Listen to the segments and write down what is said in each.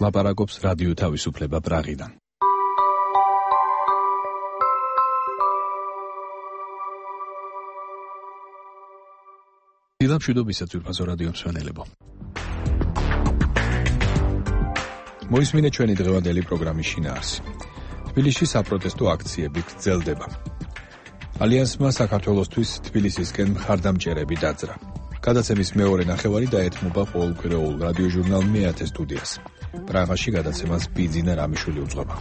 ლაპარაკობს რადიო თავისუფლება პრაღიდან. დილამშვიდობისა ძვირფასო რადიო მსმენელებო. მოისმინეთ ჩვენი დღევანდელი პროგრამის შინაარსი. თბილისში საპროტესტო აქციები გრძელდება. ალიანსმა საქართველოსთვის თბილისისკენ მხარდამჭერები დაძრა. გადაცემის მეორე ნახევარი დაეთმობა ყოველკვირეულ რადიოჟურნალ მეათე სტუდიას. პრაღაში გადაცემას ბიძინა რამიშვილი უძღვება.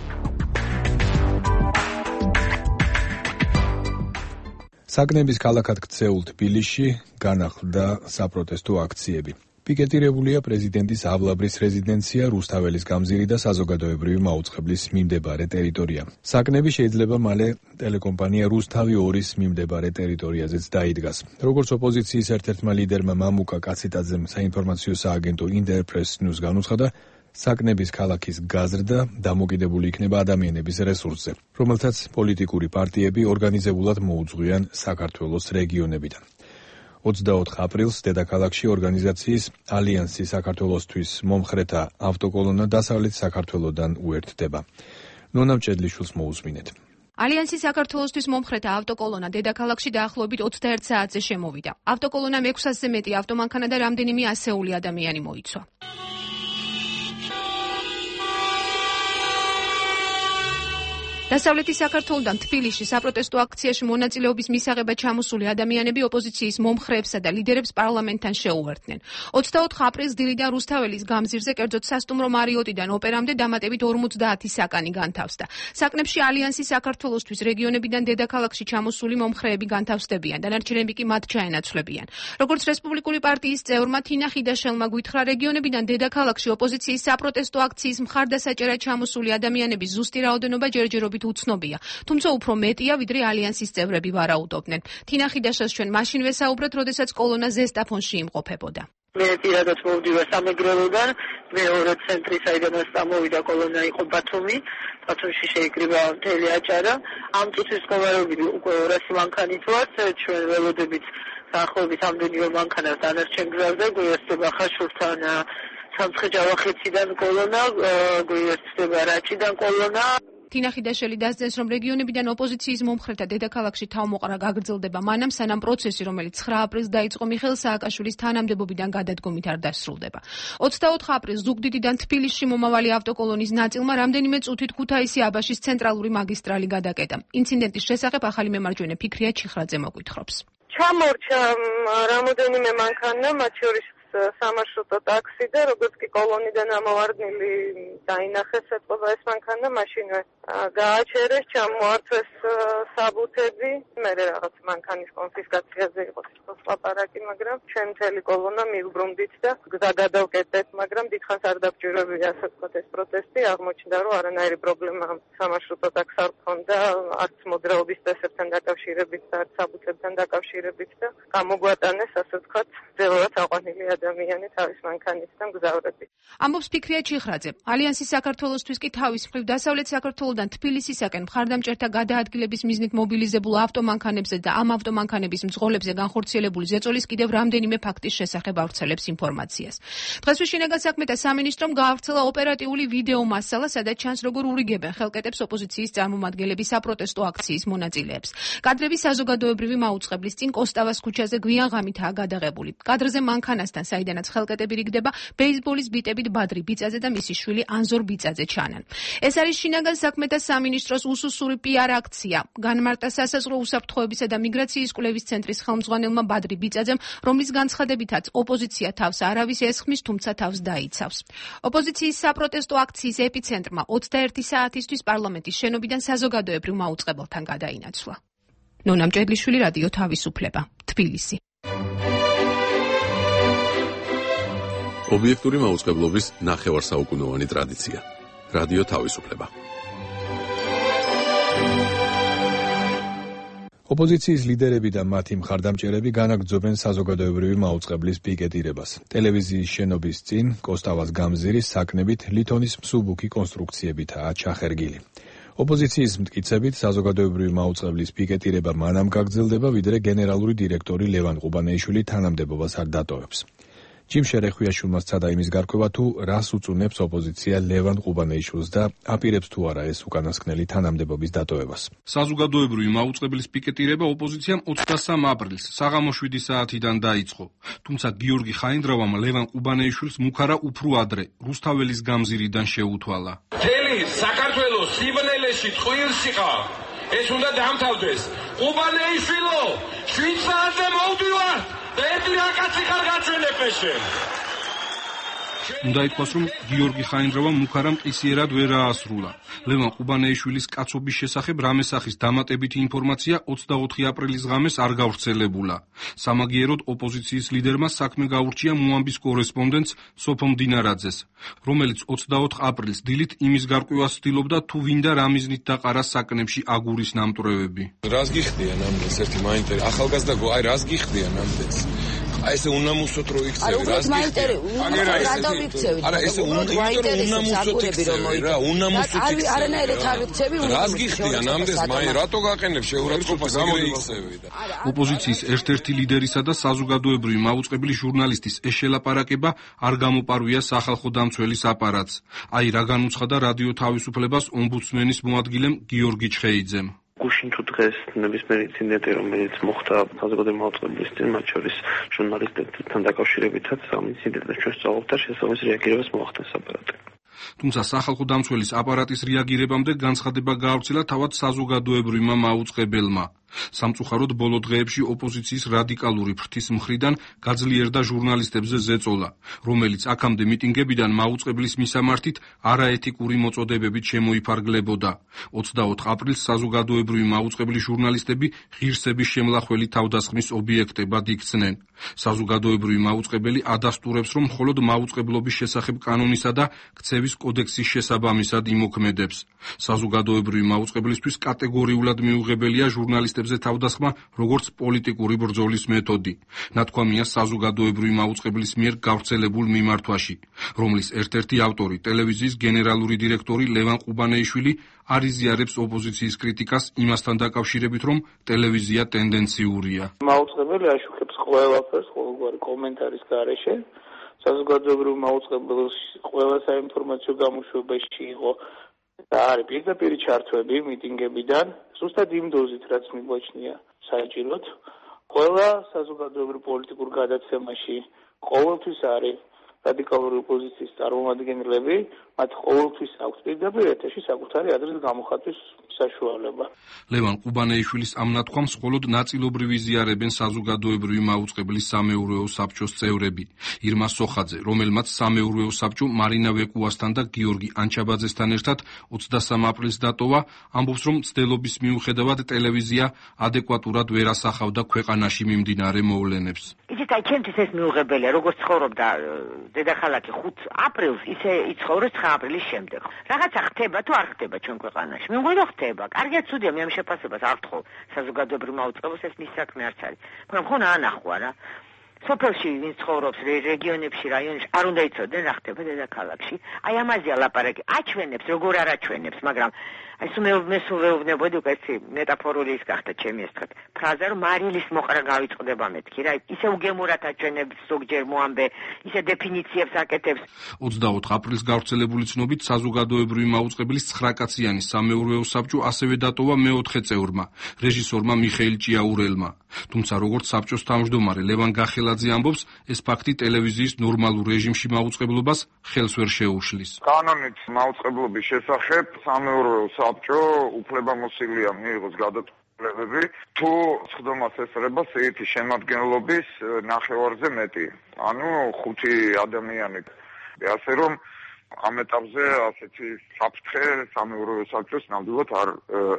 საკნების ქალაქად ქცეულ თბილისში განახლდა საპროტესტო აქციები. პიკეტირებულია პრეზიდენტის ავლაბრის რეზიდენცია, რუსთაველის გამზირი და საზოგადოებრივი მაუწყებლის მიმდებარე ტერიტორია. საკნები შეიძლება მალე ტელეკომპანია რუსთავი 2-ის მიმდებარე ტერიტორიაზეც დაიდგას. როგორც ოპოზიციის ერთ-ერთმა ლიდერმა მამუკა კაციტაძემ საინფორმაციო სააგენტო ინტერპრეს ნიუს განუცხადა, საკნების ქალაქის გაზრდა დამოკიდებული იქნება ადამიანების რესურსზე, რომელთაც პოლიტიკური პარტიები ორგანიზებულად მოუძღვიან საქართველოს რეგიონებიდან. 24 აპრილს დედაქალაქში ორგანიზაციის ალიანსი საქართველოსთვის მომხრეთა ავტოკოლონა დასავლეთ საქართველოდან უერთდება. ნონა მჭედლიშვილს მოусმინეთ. ალიანსი საქართველოსთვის მომხრეთა ავტოკოლონა დედაქალაქში დაახლოებით 21 საათზე შემოვიდა. ავტოკოლონამ 600-ზე მეტი ავტომანქანა და რამდენიმე ასეული ადამიანი მოიცვა. დასავლეთი საქართველოდან თბილისში საპროტესტო აქციაში მონაწილეობის მისაღებად ჩამოსული ადამიანები ოპოზიციის მომხრეებსა და ლიდერებს პარლამენტთან შეუერთდნენ. 24 აპრილს დილიდან რუსთაველის გამზირზე, კერძოდ სასტუმრო მარიოტიდან ოპერამდე დამატებით 50 საკანი განთავსდა. საკნებში ალიანსი საქართველოსთვის რეგიონებიდან დედაქალაქში ჩამოსული მომხრეები განთავსდებიან, დანარჩენები კი მათ ჩაენაცვლებიან. როგორც რესპუბლიკური პარტიის წევრმა თინა ხიდაშელმა გვითხრა, რეგიონებიდან დედაქალაქში ოპოზიციის საპროტესტო აქციის მხარდასაჭერად ჩამოსული ადამიანების ზუსტი რაოდენობა ჯერჯერობით უცნობია, თუმცა უფრო მეტია, ვიდრე ალიანსის წევრები ვარაუდობდნენ. თინა ხიდაშელს ჩვენ მაშინ ვესაუბრეთ, როდესაც კოლონა ზესტაფონში იმყოფებოდა. მე პირადად მოვდივარ სამეგრელოდან, მეორე ცენტრი საიდანაც წამოვიდა კოლონა იყო ბათუმი, ბათუმში შეიკრიბა მთელი აჭარა. ამ წუთის მდგომარეობით უკვე 200 მანქანით ვართ, ჩვენ ველოდებით დაახლოებით ამდენივე მანქანას დანარჩენ გზაზე, გვიერთდება ხაშურთან სამცხე-ჯავახეთიდან კოლონა, გვიერთდება რაჭიდან კოლონა. თინა ხიდაშელი დასძენს, რომ რეგიონებიდან ოპოზიციის მომხრეთა დედაქალაქში თავმოყრა გაგრძელდება მანამ, სანამ პროცესი, რომელიც 9 აპრილს დაიწყო მიხეილ სააკაშვილის თანამდებობიდან გადადგომით არ დასრულდება. 24 აპრილს ზუგდიდიდან თბილისში მომავალი ავტოკოლონის ნაწილმა რამდენიმე წუთით ქუთაისი-აბაშის ცენტრალური მაგისტრალი გადაკეტა. ინციდენტის შესახებ ახალი მემარჯვენე ფიქრია ჩიხრაძე მოგვითხრობს. ჩამორჩა რამოდენიმე მანქანა, მათ შორის სამარშრუტო ტაქსი და როგორც კი კოლონიდან ამოვარდნილი დაინახეს ეთყობა ეს მანქანა, მაშინვე გააჩერეს, ჩამოართვეს საბუთები, მე რაღაც მანქანის კონფისკაციაზე იყო სიტყვის ლაპარაკი, მაგრამ ჩვენ მთელი კოლონა მივბრუნდით და გზა გადავკეტეთ, მაგრამ დიდხანს არ დაგჭირებია ასე ვთქვათ ეს პროტესტი, აღმოჩნდა რომ არანაირი პრობლემა სამარშრუტო ტაქსს არ ჰქონდა, არც მოძრაობის წესებთან დაკავშირებით და არც საბუთებთან დაკავშირებით და გამოგვატანეს ასე ვთქვათ ძელად აყვანილი ადამიანი თავის მანქანისგან გზავრები. ამბობს ფიქრია ჩიხრაძე. ალიანსი საქართველოსთვის კი თავის მხრივ დასავლეთ საქართველოდან თბილისისაკენ მხარდამჭერთა გადაადგილების მიზნით მობილიზებულ ავტომანქანებზე და ამ ავტომანქანების მძღოლებზე განხორციელებული ზეწოლის კიდევ რამდენიმე ფაქტის შესახებ ავრცელებს ინფორმაციას. დღესვე შინაგან საქმეთა სამინისტრომ გაავრცელა ოპერატიული ვიდეო მასალა, სადაც ჩანს, როგორ ურიგებენ ხელკეტებს ოპოზიციის წარმომადგენლები საპროტესტო აქციის მონაწილეებს. კადრები საზოგადოებრივი მაუწყებლის წინ კოსტავას ქუჩაზე გვიან ღამითაა გადაღებული. კადრზე მანქანასთან, საიდანაც ხელკეტები რიგდება, ბეისბოლის ბიტებით ბადრი ბიწაძე და მისი შვილი ანზორ ბიწაძე ჩანან. ეს არის შინაგან საქმეთა სამინისტროს უსუსური პიარ აქცია. განმარტა სასაზღვრო უსაფრთხოებისა და მიგრაციის კვლევის ცენტრის ხელმძღვანელმა ბადრი ბიწაძემ, რომლის განცხადებითაც ოპოზიცია თავს არავის ესხმის, თუმცა თავს დაიცავს. ოპოზიციის საპროტესტო აქციის ეპიცენტრმა 21 საათისთვის პარლამენტის შენობიდან საზოგადოებრივ მაუწყებელთან გადაინაცვლა. ნონა მჭედლიშვილი, რადიო თავისუფლება, თბილისი. ობიექტური მაუწყებლობის ნახევარსაუკუნოვანი ტრადიცია. რადიო თავისუფლება. ოპოზიციის ლიდერები და მათი მხარდამჭერები განაგრძობენ საზოგადოებრივი მაუწყებლის პიკეტირებას. ტელევიზიის შენობის წინ კოსტავას გამზირის საკნებით ლითონის მსუბუქი კონსტრუქციებითაა ჩახერგილი. ოპოზიციის მტკიცებით საზოგადოებრივი მაუწყებლის პიკეტირება მანამ გაგრძელდება, ვიდრე გენერალური დირექტორი ლევან ყუბანეიშვილი თანამდებობას არ დატოვებს. ჯიმ შერეხვიაშვილმა სცადა იმის გარკვევა, თუ რას უწუნებს ოპოზიცია ლევან ყუბანეიშვილს და აპირებს თუ არა ეს უკანასკნელი თანამდებობის დატოვებას. საზოგადოებრივი მაუწყებლის პიკეტირება ოპოზიციამ 23 აპრილს საღამოს 7 საათიდან დაიწყო. თუმცა გიორგი ხაინდრავამ ლევან ყუბანეიშვილს მუქარა უფრო ადრე რუსთაველის გამზირიდან შეუთვალა. მთელი საქართველოს სიბნელეში ტყუილში ხარ. ეს უნდა დამთავრდეს. ყუბანეიშვილო, 7 საათზე მოვდივარ და ერთი რაკაცი ხარ გაჩვენებეშე. უნდა ითქვას, რომ გიორგი ხაინდრავამ მუქარა მყისიერად ვერ აასრულა. ლევან ყუბანეიშვილის კაცობის შესახებ რამესახის დამატებითი ინფორმაცია 24 აპრილის ღამეს არ გავრცელებულა. სამაგიეროდ ოპოზიციის ლიდერმა საქმე გაურჩია მოამბის კორესპონდენტს სოფო მდინარაძეს, რომელიც 24 აპრილს დილით იმის გარკვევას ცდილობდა, თუ ვინდა რა მიზნით დაყარა საკნებში აგურის ნამტვრევები. რას გიხდიან ამდენს ერთი მაინტერესებს ახალგაზრდა აი რას გიხდიან ამდენს აი ესე უნამუსოთ რო იქცევი რას გიხდიან არა ესე უნამუსოთ იქცევი რა უნამუსოთ იქცევი არანაირად არ ვიქცევი რას გიხდიან ამდენს მაინც რატო გაყენებ შეურაცხყოფას ამერ იქცევი და ოპოზიციის ერთ-ერთი ლიდერისა და საზოგადოებრივი მაუწყებლის ჟურნალისტის ეს შელაპარაკება არ გამოპარვია სახალხო დამცველის აპარატს. აი რა განუცხადა რადიო თავისუფლებას ომბუდსმენის მოადგილემ გიორგი ჩხეიძემ. გუშინ თუ დღეს ნებისმიერი ინციდენტი, რომელიც მოხდა საზოგადოებრივი მაუწყებლის წინ, მათ შორის ჟურნალისტებთან დაკავშირებითაც ამ ინციდენტებს ჩვენ სწავლობთ და შესაბამის რეაგირებას მოახდენს აპარატი. თუმცა სახალხო დამცველის აპარატის რეაგირებამდე განცხადება გაავრცელა თავად საზოგადოებრივმა მაუწყებელმა. სამწუხაროდ ბოლო დღეებში ოპოზიციის რადიკალური ფრთის მხრიდან გაძლიერდა ჟურნალისტებზე ზეწოლა, რომელიც აქამდე მიტინგებიდან მაუწყებლის მისამართით არაეთიკური მოწოდებებით შემოიფარგლებოდა. 24 აპრილს საზოგადოებრივი მაუწყებლის ჟურნალისტები ღირსების შემლახველი თავდასხმის ობიექტებად იქცნენ. საზოგადოებრივი მაუწყებელი ადასტურებს, რომ მხოლოდ მაუწყებლობის შესახებ კანონისა და ქცევის კოდექსის შესაბამისად იმოქმედებს. საზოგადოებრივი მაუწყებლისთვის კატეგორიულად მიუღებელია ჟურნალისტებზე თავდასხმა როგორც პოლიტიკური ბრძოლის მეთოდი. ნათქვამია საზოგადოებრივი მაუწყებლის მიერ გავრცელებულ მიმართვაში, რომლის ერთ-ერთი ავტორი ტელევიზიის გენერალური დირექტორი ლევან ყუბანეიშვილი არ იზიარებს ოპოზიციის კრიტიკას იმასთან დაკავშირებით, რომ ტელევიზია ტენდენციურია. მაუწყებელი აშუქებს ყველაფერს, ყოველგვარი კომენტარის გარეშე. საზოგადოებრივ მაუწყებელს ყველა საინფორმაციო გამოშვებაში იყო და არის პირდაპირ ჩართვები მიტინგებიდან, ზუსტად იმ დოზით, რაც მიგვაჩნია საჭიროდ. ყველა საზოგადოებრივ პოლიტიკურ გადაცემაში ყოველთვის არის რადიკალური ოპოზიციის წარმომადგენლები, მათ ყოველთვის აქვს პირდაპირ ეთერში საკუთარი აზრის გამოხატვის საშუალება. ლევან ყუბანეიშვილის ამ ნათქვამს მხოლოდ ნაწილობრივ იზიარებენ საზოგადოებრივი მაუწყებლის სამეურვეო საბჭოს წევრები. ირმა სოხაძე, რომელმაც სამეურვეო საბჭო მარინა ვეკუასთან და გიორგი ანჩაბაძესთან ერთად 23 აპრილს დატოვა, ამბობს, რომ მცდელობის მიუხედავად ტელევიზია ადეკვატურად ვერ ასახავდა ქვეყანაში მიმდინარე მოვლენებს. იცით, აი ჩემთვის ეს მიუღებელია, როგორც ცხოვრობდა დედაქალაქი 5 აპრილს, ისე იცხოვრეს 9 აპრილის შემდეგ. რაღაცა ხდება თუ არ ხდება ჩვენ ქვეყანაში. მე მგონი რომ ხდება. კარგია, ცუდია, მე ამ შეფასებას არ ვთხოვ საზოგადოებრივ მაუწყებელს, ეს მის საქმე არც არის. მაგრამ ხო ანახვა რა. სოფელში ვინც ცხოვრობს რეგიონებში, რაიონებში არ უნდა იცოდნენ რა ხდება დედაქალაქში. აი ამაზეა ლაპარაკი. აჩვენებს, როგორ არ აჩვენებს, მაგრამ აი მე სულ ვეუბნებოდი უკვე ეს მეტაფორული ის გახდა ჩემი ეს თქვა ფრაზა, რომ მარილის მოყრა გავიწყდება მეთქი რა. ისე უგემურად აჩვენებს ზოგჯერ მოამბე, ისე დეფინიციებს აკეთებს. 24 აპრილს გავრცელებული ცნობით საზოგადოებრივი მაუწყებლის 9 კაციანი სამეურვეო საბჭო ასევე დატოვა მეოთხე წევრმა, რეჟისორმა მიხეილ ჭიაურელმა. თუმცა როგორც საბჭოს თავმჯდომარე ლევან გახელაძე ამბობს, ეს ფაქტი ტელევიზიის ნორმალურ რეჟიმში მაუწყებლობას ხელს ვერ შეუშლის. კანონით მაუწყებლობის შესახებ სამეურვეო საბჭო უფლებამოსილია მიიღოს გადაწყვეტილებები, თუ სხდომას ესწრება სიითი შემადგენლობის ნახევარზე მეტი. ანუ 5 ადამიანი. ასე რომ ამ ეტაპზე ასეთი საფრთხე სამეურვეო საბჭოს ნამდვილად არ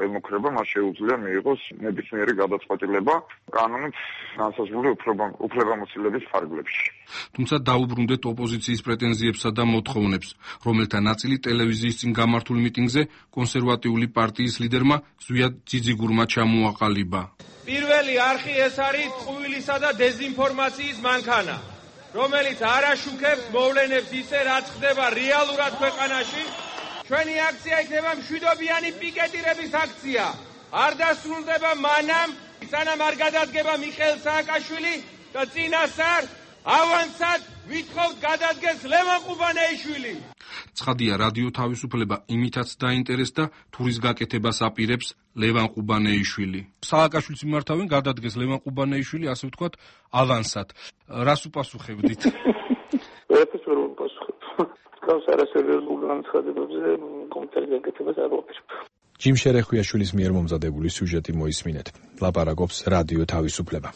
ემუქრება, მას შეუძლია მიიღოს ნებისმიერი გადაწყვეტილება კანონით განსაზღვრული უფლებამოსილების ფარგლებში. თუმცა დაუბრუნდეთ ოპოზიციის პრეტენზიებსა და მოთხოვნებს, რომელთა ნაწილი ტელევიზიის წინ გამართულ მიტინგზე კონსერვატიული პარტიის ლიდერმა ზვიად ძიძიგურმა ჩამოაყალიბა. პირველი არხი ეს არის ტყუილისა და დეზინფორმაციის მანქანა, რომელიც არ აშუქებს მოვლენებს ისე, რაც ხდება რეალურად ქვეყანაში. ჩვენი აქცია იქნება მშვიდობიანი პიკეტირების აქცია. არ დასრულდება მანამ, სანამ არ გადადგება მიხეილ სააკაშვილი და წინასწარ ავანსად ვითხოვთ გადადგეს ლევან ყუბანეიშვილი. ცხადია, რადიო თავისუფლება იმითაც დაინტერესდა, თურის გაკეთებას აპირებს ლევან ყუბანეიშვილი. სააკაშვილის მიმართავენ გადადგეს ლევან ყუბანეიშვილი, ასე ვთქვათ, ავანსად. რას უპასუხებდით? ვერაფერს ვერ უპასუხებ. გავს არასერიოზულ განცხადებებზე კომენტარის გაკეთებას არ ვაპირებ. ჯიმ შერეხვიაშვილის მიერ მომზადებული სიუჟეტი მოისმინეთ. ლაპარაკობს რადიო თავისუფლება.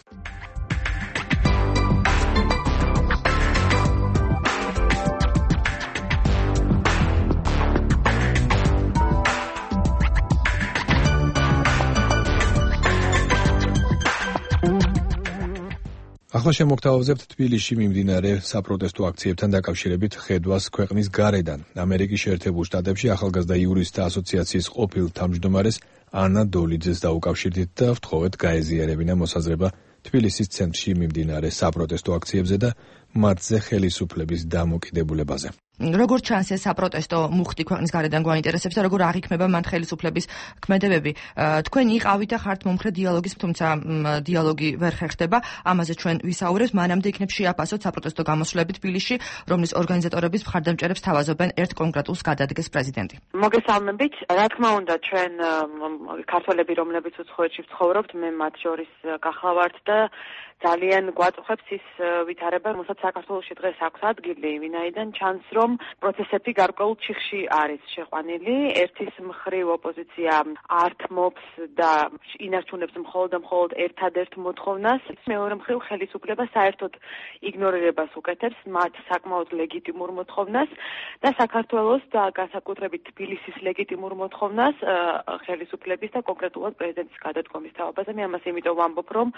ახლა შემოგთავაზებთ თბილისში მიმდინარე საპროტესტო აქციებთან დაკავშირებით ხედვას ქვეყნის გარედან. ამერიკის შეერთებულ შტატებში ახალგაზრდა იურისტთა ასოციაციის ყოფილ თავმჯდომარეს ანა დოლიძეს დაუკავშირდით და ვთხოვეთ გაეზიარებინა მოსაზრება თბილისის ცენტრში მიმდინარე საპროტესტო აქციებზე და მათზე ხელისუფლების დამოკიდებულებაზე. როგორც ჩანს, ეს საპროტესტო მუხტი ქვეყნის გარედან გვაინტერესებს და როგორ აღიქმება მან ხელისუფლების ქმედებები. თქვენ იყავით და ხართ მომხრე დიალოგის, თუმცა დიალოგი ვერ ხერხდება. ამაზე ჩვენ ვისაუბრებთ. მანამდე იქნებ შეაფასოთ საპროტესტო გამოსვლები თბილისში, რომლის ორგანიზატორების მხარდამჭერებს თავაზობენ ერთ კონკრეტულს გადადგეს პრეზიდენტი. მოგესალმებით. რა თქმა უნდა, ჩვენ ქართველები, რომლებიც უცხოეთში ვცხოვრობთ, მე მათ შორის გახლავართ და ძალიან გვაწუხებს ის ვითარება, რომელსაც საქართველოში დღეს აქვს ადგილი, ვინაიდან ჩანს, რომ პროცესები გარკვეულ ჩიხში არის შეყვანილი. ერთის მხრივ ოპოზიცია ართმობს და ინარჩუნებს მხოლოდ ერთადერთ მოთხოვნას, მეორე მხრივ ხელისუფლება საერთოდ იგნორირებას უკეთებს მათ საკმაოდ ლეგიტიმურ მოთხოვნას და საქართველოს და განსაკუთრებით თბილისის ლეგიტიმურ მოთხოვნას ხელისუფლების და კონკრეტულად პრეზიდენტის გადადგომის თავაზე. მე ამას იმიტომ ვამბობ, რომ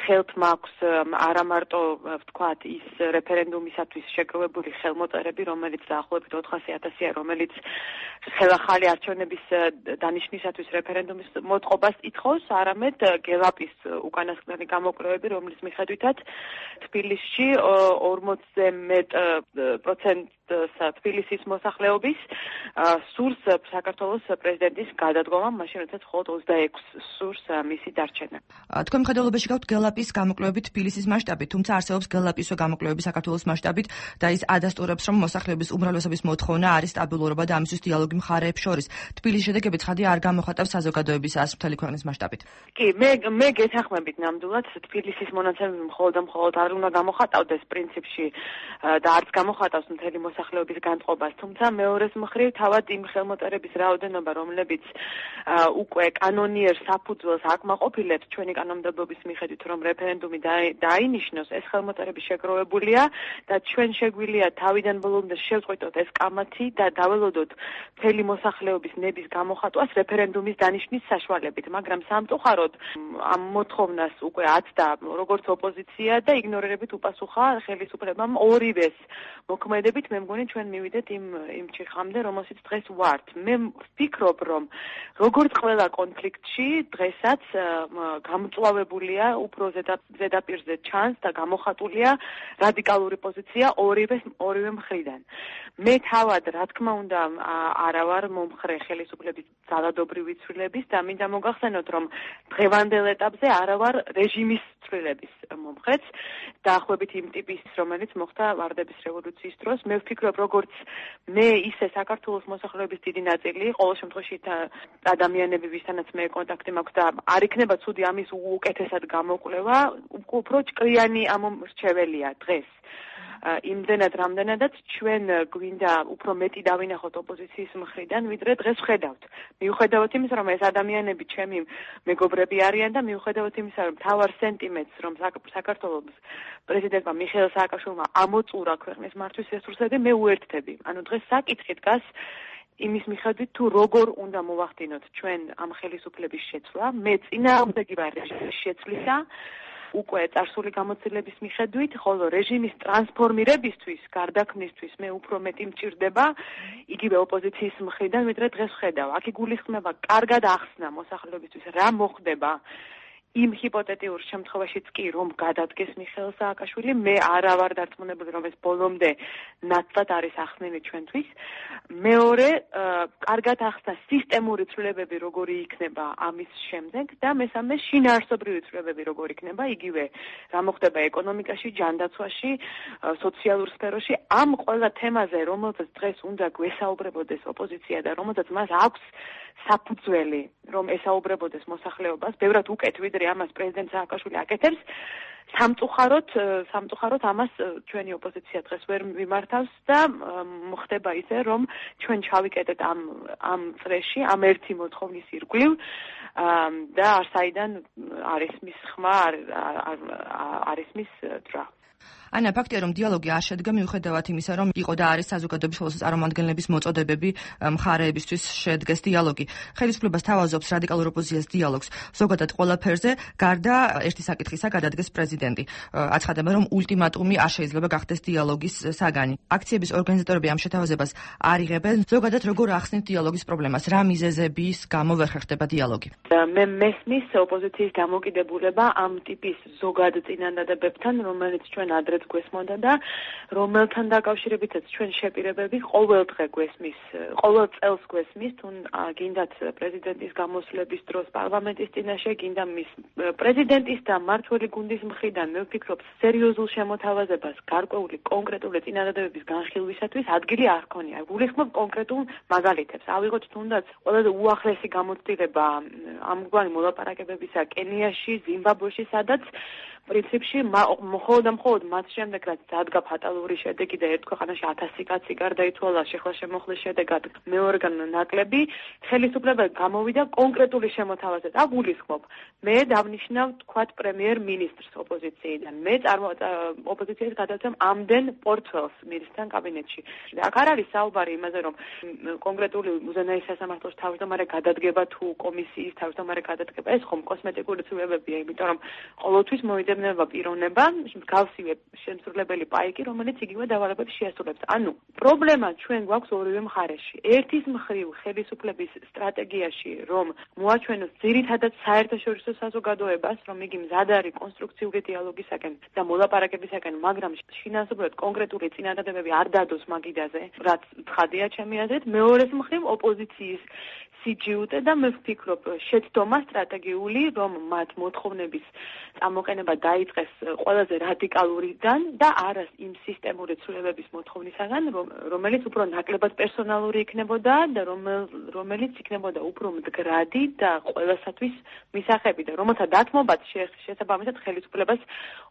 ხელთ აქვს არა მარტო ვთქვათ ის რეფერენდუმისათვის შეგროვებული ხელმოწერები, რომელიც დაახლოებით 400,000-ია, რომელიც ხელახალი არჩევნების დანიშნისათვის რეფერენდუმის მოტყობას ითხოვს, არამედ გელაპის უკანასკნელი გამოკვლევები, რომლის მიხედვითაც თბილისში 40-ზე მეტ პროცენტს თბილისის მოსახლეობის სურს საქართველოს პრეზიდენტის გადადგომა, მაშინ როდესაც მხოლოდ 26 სურს მისი დარჩენა. თქვენ მხედველობაში გაქვთ გელაპის გამოკვლევები თბილისის მასშტაბით, თუმცა არსებობს გელაპისო გამოკვლევები საქართველოს მასშტაბით და ის ადასტურებს, რომ მოსახლეობის უმრავლესობის მოთხოვნა არის სტაბილურობა და ამისთვის დიალოგი მხარეებს შორის. თბილისის შედეგები ცხადია არ გამოხატავს საზოგადოებისას მთელი ქვეყნის მასშტაბით. კი, მე გეთანხმებით ნამდვილად თბილისის მონაცემები მხოლოდ არ უნდა გამოხატავდეს პრინციპში და არც გამოხატავს მთელი მოსახლეობის განწყობას, თუმცა მეორეს მხრივ თავად იმ ხელმოწერების რაოდენობა, რომლებიც უკვე კანონიერ საფუძველს აკმაყოფილებს ჩვენი კანონმდებლობის მიხედვით, რომ რეფერენდუმი დაინიშნოს, ეს ხელმოწერები შეგროვებულია და ჩვენ შეგვიძლია თავიდან ბოლომდე შევწყვიტოთ ეს კამათი და დაველოდოთ მთელი მოსახლეობის ნების გამოხატვას რეფერენდუმის დანიშნის საშუალებით, მაგრამ სამწუხაროდ ამ მოთხოვნას უკვე აცდა როგორც ოპოზიცია და იგნორირებით უპასუხა ხელისუფლებამ ორივეს მოქმედებით. მე მგონი ჩვენ მივიდეთ იმ ჩიხამდე, რომელშიც დღეს ვართ. მე ვფიქრობ, რომ როგორც ყველა კონფლიქტში დღესაც გამწვავებულია უფრო ზედაპირზე ჩანს და გამოხატულია რადიკალური პოზიცია ორივე მხრიდან. მე თავად, რა თქმა უნდა, არა ვარ მომხრე ხელისუფლების ძალადობრივი ცვლილების და მინდა მოგახსენოთ, რომ დღევანდელ ეტაპზე არა ვარ რეჟიმის ცვლილების მომხრეც, დაახლოებით იმ ტიპის, რომელიც მოხდა ვარდების რევოლუციის დროს. მე ვფიქრობ, როგორც მე, ისე საქართველოს მოსახლეობის დიდი ნაწილი, ყოველ შემთხვევაში ადამიანები, ვისთანაც მე კონტაქტი მაქვს და არ იქნება ცუდი ამის უკეთესად გამოკვლევა, უფრო ჭკვიანი ამომრჩეველია დღეს. იმდენად რამდენადაც ჩვენ გვინდა უფრო მეტი დავინახოთ ოპოზიციის მხრიდან, ვიდრე დღეს ვხედავთ. მიუხედავად იმისა, რომ ეს ადამიანები ჩემი მეგობრები არიან და მიუხედავად იმისა, რომ მთავარ სენტიმენტს, რომ საქართველოს პრეზიდენტმა მიხეილ სააკაშვილმა ამოწურა ქვეყნის მართვის რესურსები, მე უერთდები. ანუ დღეს საკითხი დგას იმის მიხედვით, თუ როგორ უნდა მოვახდინოთ ჩვენ ამ ხელისუფლების შეცვლა. მე წინააღმდეგი ვარ რეჟიმის შეცვლისა, უკვე წარსული გამოცდილების მიხედვით, ხოლო რეჟიმის ტრანსფორმირებისთვის, გარდაქმნისთვის მე უფრო მეტი მჭირდება იგივე ოპოზიციის მხრიდან, ვიდრე დღეს ვხედავ. აქ იგულისხმება კარგად ახსნა მოსახლეობისთვის, რა მოხდება იმ ჰიპოთეტიურ შემთხვევაშიც კი რომ გადადგეს მიხეილ სააკაშვილი, მე არა ვარ დარწმუნებული რომ ეს ბოლომდე ნათლად არის ახსნილი ჩვენთვის. მეორე, კარგად ახსნა სისტემური ცვლილებები როგორი იქნება ამის შემდეგ და მესამე შინაარსობრივი ცვლილებები როგორი იქნება, იგივე რა მოხდება ეკონომიკაში, ჯანდაცვაში, სოციალურ სფეროში, ამ ყველა თემაზე, რომელზეც დღეს უნდა გვესაუბრებოდეს ოპოზიცია და რომელზეც მას აქვს საფუძველი, რომ ესაუბრებოდეს მოსახლეობას, ბევრად უკეთ ვიდრე ამას პრეზიდენტ სააკაშვილი აკეთებს. სამწუხაროდ ამას ჩვენი ოპოზიცია დღეს ვერ მიმართავს და მოხდება ისე, რომ ჩვენ ჩავიკეტეთ ამ წრეში, ამ ერთი მოთხოვნის ირგვლივ და არსაიდან არის მის ხმა, არის მის ძრა. ანა, ფაქტია, რომ დიალოგი არ შედგა მიუხედავად იმისა, რომ იყო და არის საზოგადოების ხოლმე წარმომადგენლების მოწოდებები მხარეებისთვის შედგეს დიალოგი. ხელისუფლებას თავაზობს რადიკალურ ოპოზიციას დიალოგს ზოგადად ყველაფერზე, გარდა ერთი საკითხისა გადადგეს პრეზიდენტი. აცხადება, რომ ულტიმატუმი არ შეიძლება გახდეს დიალოგის საგანი. აქციების ორგანიზატორები ამ შეთავაზებას არ იღებენ. ზოგადად როგორ ახსნით დიალოგის პრობლემას? რა მიზეზების გამო ვერ ხერხდება დიალოგი? მე მესმის ოპოზიციის დამოკიდებულება ამ ტიპის ზოგად წინადადებებთან, რომელიც ჩვენ ადრე გვესმოდა და რომელთან დაკავშირებითაც ჩვენ შეპირებები ყოველ წელს გვესმის, თუ გინდათ პრეზიდენტის გამოსვლების დროს პარლამენტის წინაშე, გინდა მის პრეზიდენტის და მმართველი გუნდის მხრიდან, მე ვფიქრობ, სერიოზულ შემოთავაზებას გარკვეული კონკრეტული წინადადებების განხილვისათვის ადგილი არ ჰქონია. გულისხმობ კონკრეტულ მაგალითებს. ავიღოთ თუნდაც ყველაზე უახლესი გამოცდილება ამგვარი მოლაპარაკებებისა კენიაში, ზიმბაბვეში, სადაც პრინციპში მხოლოდ მათ შემდეგ რაც დადგა ფატალური შედეგი და ერთ ქვეყანაში 1000 კაცი გარდაიცვალა შეხლა შემოხლის შედეგად მეორგან ნაკლები, ხელისუფლება გამოვიდა კონკრეტული შემოთავაზებით. აგულისხმობ, მე დავნიშნავ თქვათ პრემიერ-მინისტრს ოპოზიციიდან. მე ოპოზიციას გადავცემ ამდენ პორტფელს მინისტრთან კაბინეტში. აქ არ არის საუბარი იმაზე, რომ კონკრეტული უზენაეს სასამართლოს თავმჯდომარე გადადგება თუ კომისიის თავმჯდომარე გადადგება, ეს ხომ კოსმეტიკური ცვლილებებია, იმიტომ რომ ყოველთვის მოიძებნება პიროვნება, გავსივე შემსრულებელი პაიკი, რომელიც იგივე დავალებებს შეასრულებს. ანუ პრობლემა ჩვენ გვაქვს ორივე მხარეში. ერთის მხრივ ხელისუფლების სტრატეგიაში, რომ მოაჩვენოს ძირითადად საერთაშორისო საზოგადოებას, რომ იგი მზად არის კონსტრუქციული დიალოგისაკენ და მოლაპარაკებისაკენ, მაგრამ შინაარსობრივად კონკრეტული წინადადებები არ დადოს მაგიდაზე, რაც ცხადია ჩემი აზრით. მეორეს მხრივ ოპოზიციის სიჯიუტე და მე ვფიქრობ შეცდომა სტრატეგიული, რომ მათ მოთხოვნების წამოყენება დაიწყეს ყველაზე რადიკალურიდან და არა იმ სისტემური ცვლილებების მოთხოვნისაგან, რომელიც უფრო ნაკლებად პერსონალური იქნებოდა და რომელიც იქნებოდა უფრო მდგრადი და ყველასათვის მისაღები და რომელთა დათმობაც შესაბამისად ხელისუფლებას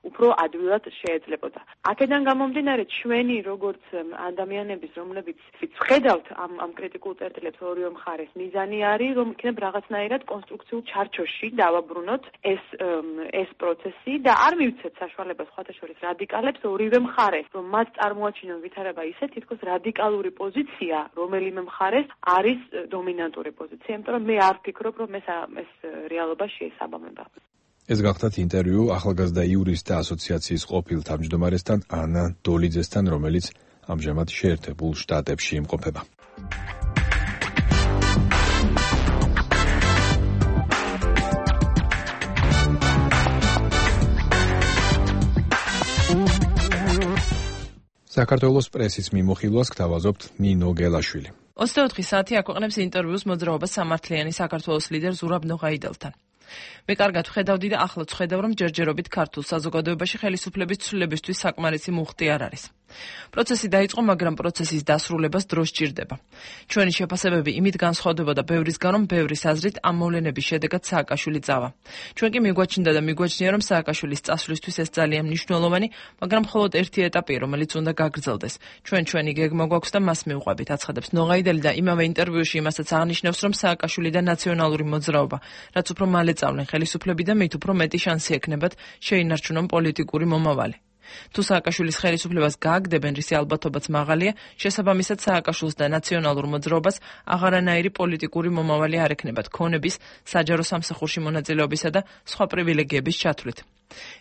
უფრო ადვილად შეეძლებოდა. აქედან გამომდინარე, ჩვენი როგორც ადამიანების, რომლებიც ვხედავთ ამ კრიტიკულ წერტილებს ორივე მხარეს, მიზანი არის, რომ იქნებ რაღაცნაირად კონსტრუქციულ ჩარჩოში დავაბრუნოთ ეს პროცესი და არ მივცეთ საშუალებას სხვათა შორის რადიკალებს ორივე მხარეს, რომ მათ წარმოაჩინონ ვითარება ისე, თითქოს რადიკალური პოზიცია რომელიმე მხარეს არის დომინანტური პოზიცია, იმიტომ რომ მე არ ვფიქრობ, რომ ეს რეალობა შეესაბამება. ეს გახდათ ინტერვიუ ახალგაზრდა იურისტთა ასოციაციის ყოფილ თავმჯდომარესთან ანა დოლიძესთან, რომელიც ამჟამად შეერთებულ შტატებში იმყოფება. საქართველოს პრესის მიმოხილვას გთავაზობთ ნინო გელაშვილი. 24 საათი აქვეყნებს ინტერვიუს მოძრაობა სამართლიანი საქართველოს ლიდერ ზურაბ ნოღაიდელთან. მე კარგად ვხედავდი და ახლაც ვხედავ, რომ ჯერჯერობით ქართულ საზოგადოებაში ხელისუფლების ცვლილებისთვის საკმარისი მუხტი არ არის. პროცესი დაიწყო, მაგრამ პროცესის დასრულებას დრო სჭირდება. ჩვენი შეფასებები იმით განსხვავდებოდა ბევრისგან, რომ ბევრის აზრით ამ მოვლენების შედეგად სააკაშვილი წავა. ჩვენ კი მიგვაჩნდა და მიგვაჩნია, რომ სააკაშვილის წასვლისთვის ეს ძალიან მნიშვნელოვანი, მაგრამ მხოლოდ ერთი ეტაპია, რომელიც უნდა გაგრძელდეს. ჩვენი გეგმა გვაქვს და მას მივყვებით, აცხადებს ნოღაიდელი და იმავე ინტერვიუში იმასაც აღნიშნავს, რომ სააკაშვილი და ნაციონალური მოძრაობა, რაც უფრო მალე წავლენ ხელისუფლები და მით უფრო მეტი შანსი ექნებათ შეინარჩუნონ პოლიტიკური მომავალი. თუ სააკაშვილის ხელისუფლებას გააგდებენ, რისი ალბათობაც მაღალია, შესაბამისად სააკაშვილს და ნაციონალურ მოძრაობას აღარანაირი პოლიტიკური მომავალი არ ექნებათ ქონების, საჯარო სამსახურში მონაწილეობისა და სხვა პრივილეგიების ჩათვლით.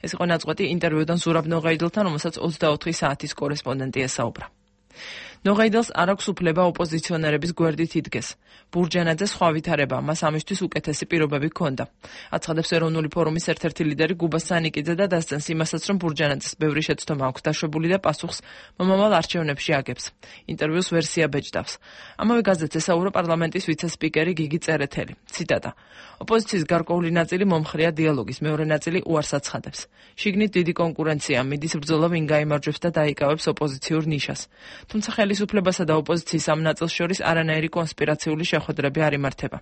ეს იყო ნაწყვეტი ინტერვიუდან ზურაბ ნოღაიდელთან, რომელსაც 24 საათის კორესპონდენტი ესაუბრა. ნოღაიდელს არ აქვს უფლება ოპოზიციონერების გვერდით იდგეს. ბურჯანაძე სხვა ვითარება, მას ამისთვის უკეთესი პირობები ჰქონდა. აცხადებს ეროვნული ფორუმის ერთ-ერთი ლიდერი გუბა სანიკიძე და დასცენს იმასაც, რომ ბურჯანაძეს ბევრი შეცდომა აქვს დაშვებული და პასუხს მომავალ არჩევნებში აგებს. ინტერვიუს ვერსია ბეჭდავს. ამავე გაზეთს ესაუბრა პარლამენტის ვიცე-სპიკერი გიგი წერეთელი. ციტატა: ოპოზიციის გარკვეული ნაწილი მომხრეა დიალოგის, მეორე ნაწილი უარს აცხადებს. შიგნით დიდი კონკურენცია, მიდის ბრძოლა ვინ გაიმარჯვებს და დაიკავებს ოპოზიციურ ნიშას. თუმცა ხელისუფლებასა და ოპოზიციის ამ ნაწილს შორის არანაირი კონსპირაციული შეხვედრები არ იმართება.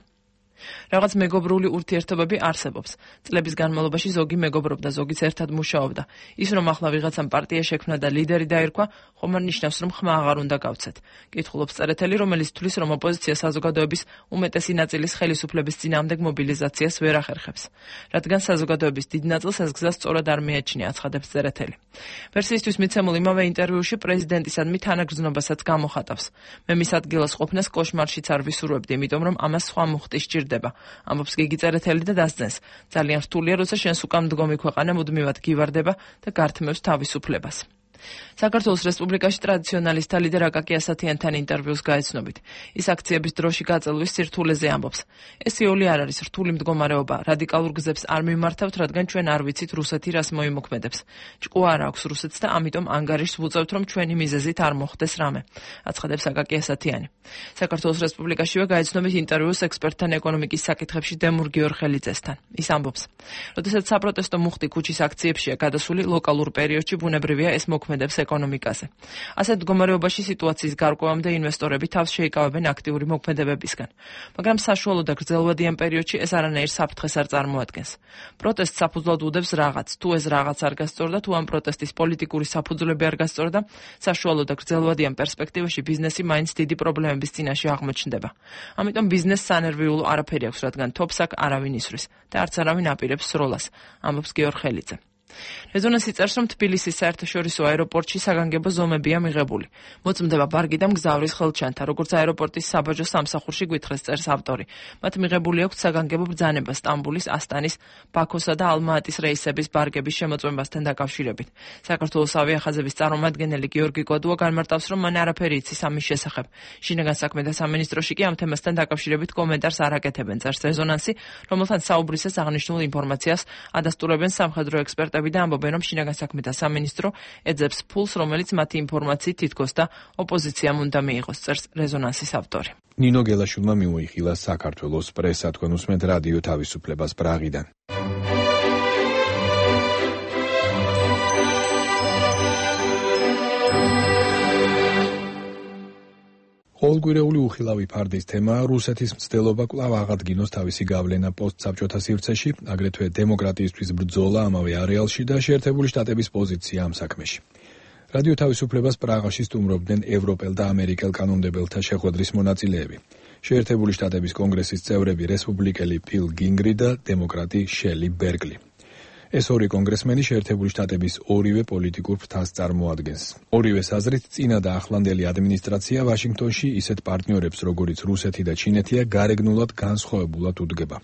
რაღაც მეგობრული ურთიერთობები არსებობს. წლების განმავლობაში ზოგი მეგობრობდა, ზოგიც ერთად მუშაობდა. ის რომ ახლა ვიღაცამ პარტია შექმნა და ლიდერი დაერქვა, ხომ არ ნიშნავს, რომ ხმა აღარ უნდა გავცეთ. კითხულობს წერეთელი, რომელიც თვლის, რომ ოპოზიცია საზოგადოების უმეტესი ნაწილის ხელისუფლების წინააღმდეგ მობილიზაციას ვერ ახერხებს. რადგან საზოგადოების დიდ ნაწილს ეს გზა სწორად არ მიაჩნია, აცხადებს წერეთელი. ვერსიისთვის მიცემულ იმავე ინტერვიუში პრეზიდენტისადმი თანაგრძნობასაც გამოხატავს. მე მის ადგილას ყოფნას კოშმარშიც არ ვისურვებდი, იმიტომ რომ ამას სხვა მუხტი სჭირდება. ამბობს გიგი წერეთელი და დასძენს. ძალიან რთულია, როცა შენს უკან მდგომი ქვეყანა მუდმივად გივარდება და გართმევს თავისუფლებას. საქართველოს რესპუბლიკაში ტრადიციონალისტთა ლიდერ აკაკი ასათიანთან ინტერვიუს გაეცნობით. ის აქციების დროში გაწელვის სირთულეზე ამბობს. ეს იოლი არ არის რთული მდგომარეობა, რადიკალურ გზებს არ მიმართავთ, რადგან ჩვენ არ ვიცით რუსეთი რას მოიმოქმედებს. ჭკუა არ აქვს რუსეთს და ამიტომ ანგარიშს ვუწევთ, რომ ჩვენი მიზეზით არ მოხდეს რამე, აცხადებს აკაკი ასათიანი. საქართველოს რესპუბლიკაშივე გაეცნობით ინტერვიუს ექსპერტთან ეკონომიკის საკითხებში დემურ გიორხელიძესთან. ის ამბობს: როდესაც საპროტესტო მუხტი ქუჩის აქციებშია გადასული, ლოკალურ პერიოდში ბუნებრივია ეს მოქმედებს ეკონომიკაზე. ასეთ მდგომარეობაში სიტუაციის გარკვევამდე ინვესტორები თავს შეიკავებენ აქტიური მოქმედებებისგან. მაგრამ საშუალო და გრძელვადიან პერიოდში ეს არანაირ საფრთხეს არ წარმოადგენს. პროტესტს საფუძვლად უდევს რაღაც. თუ ეს რაღაც არ გასწორდა, თუ ამ პროტესტის პოლიტიკური საფუძვლები არ გასწორდა, საშუალო და გრძელვადიან პერსპექტივაში ბიზნესი მაინც დიდი პრობლემების წინაშე აღმოჩნდება. ამიტომ ბიზნესს სანერვიულო არაფერი აქვს, რადგან თოფს აქ არავინ ისვრის და არც არავინ აპირებს სროლას, ამბობს გიორხელიძე. რეზონანსი წერს, რომ თბილისის საერთაშორისო აეროპორტში საგანგებო ზომებია მიღებული. მოწმდება ბარგი და მგზავრის ხელჩანთა, როგორც აეროპორტის საბაჟო სამსახურში გვითხრეს, წერს ავტორი. მათ მიღებული აქვს საგანგებო ბრძანება სტამბულის, ასტანის, ბაქოსა და ალმა-ატის რეისების ბარგების შემოწმებასთან დაკავშირებით. საქართველოს ავიახაზების წარმომადგენელი გიორგი კოდუა განმარტავს, რომ მან არაფერი იცის ამის შესახებ. შინაგან საქმეთა სამინისტროში კი ამ თემასთან დაკავშირებით კომენტარს არ აკეთებენ, წერს რეზონანსი, რომელთან საუბრისას აღნიშნულ ინფორმაციას ადასტურებენ სამხედრო ექსპერტები და ამბობენ, რომ შინაგან საქმეთა სამინისტრო ეძებს ფულს, რომელიც მათი ინფორმაციით თითქოს და ოპოზიციამ უნდა მიიღოს, წერს რეზონანსის ავტორი. ნინო გელაშვილმა მიუიხილა საქართველოს პრესა, თქვენ უსმენთ რადიო თავისუფლებას პრაღიდან. ყოველკვირეული უხილავი ფარდის თემაა რუსეთის მცდელობა კვლავ აღადგინოს თავისი გავლენა პოსტსაბჭოთა სივრცეში, აგრეთვე დემოკრატიისთვის ბრძოლა ამავე არეალში და შეერთებული შტატების პოზიცია ამ საქმეში. რადიო თავისუფლებას პრაღაში სტუმრობდნენ ევროპელ და ამერიკელ კანონმდებელთა შეხვედრის მონაწილეები. შეერთებული შტატების კონგრესის წევრები რესპუბლიკელი ფილ გინგრი და დემოკრატი შელი ბერგლი. ეს ორი კონგრესმენი შეერთებული შტატების ორივე პოლიტიკურ ფრთას წარმოადგენს. ორივეს აზრით წინა და ახლანდელი ადმინისტრაცია ვაშინგტონში ისეთ პარტნიორებს, როგორიც რუსეთი და ჩინეთია, გარეგნულად განსხვავებულად უდგება.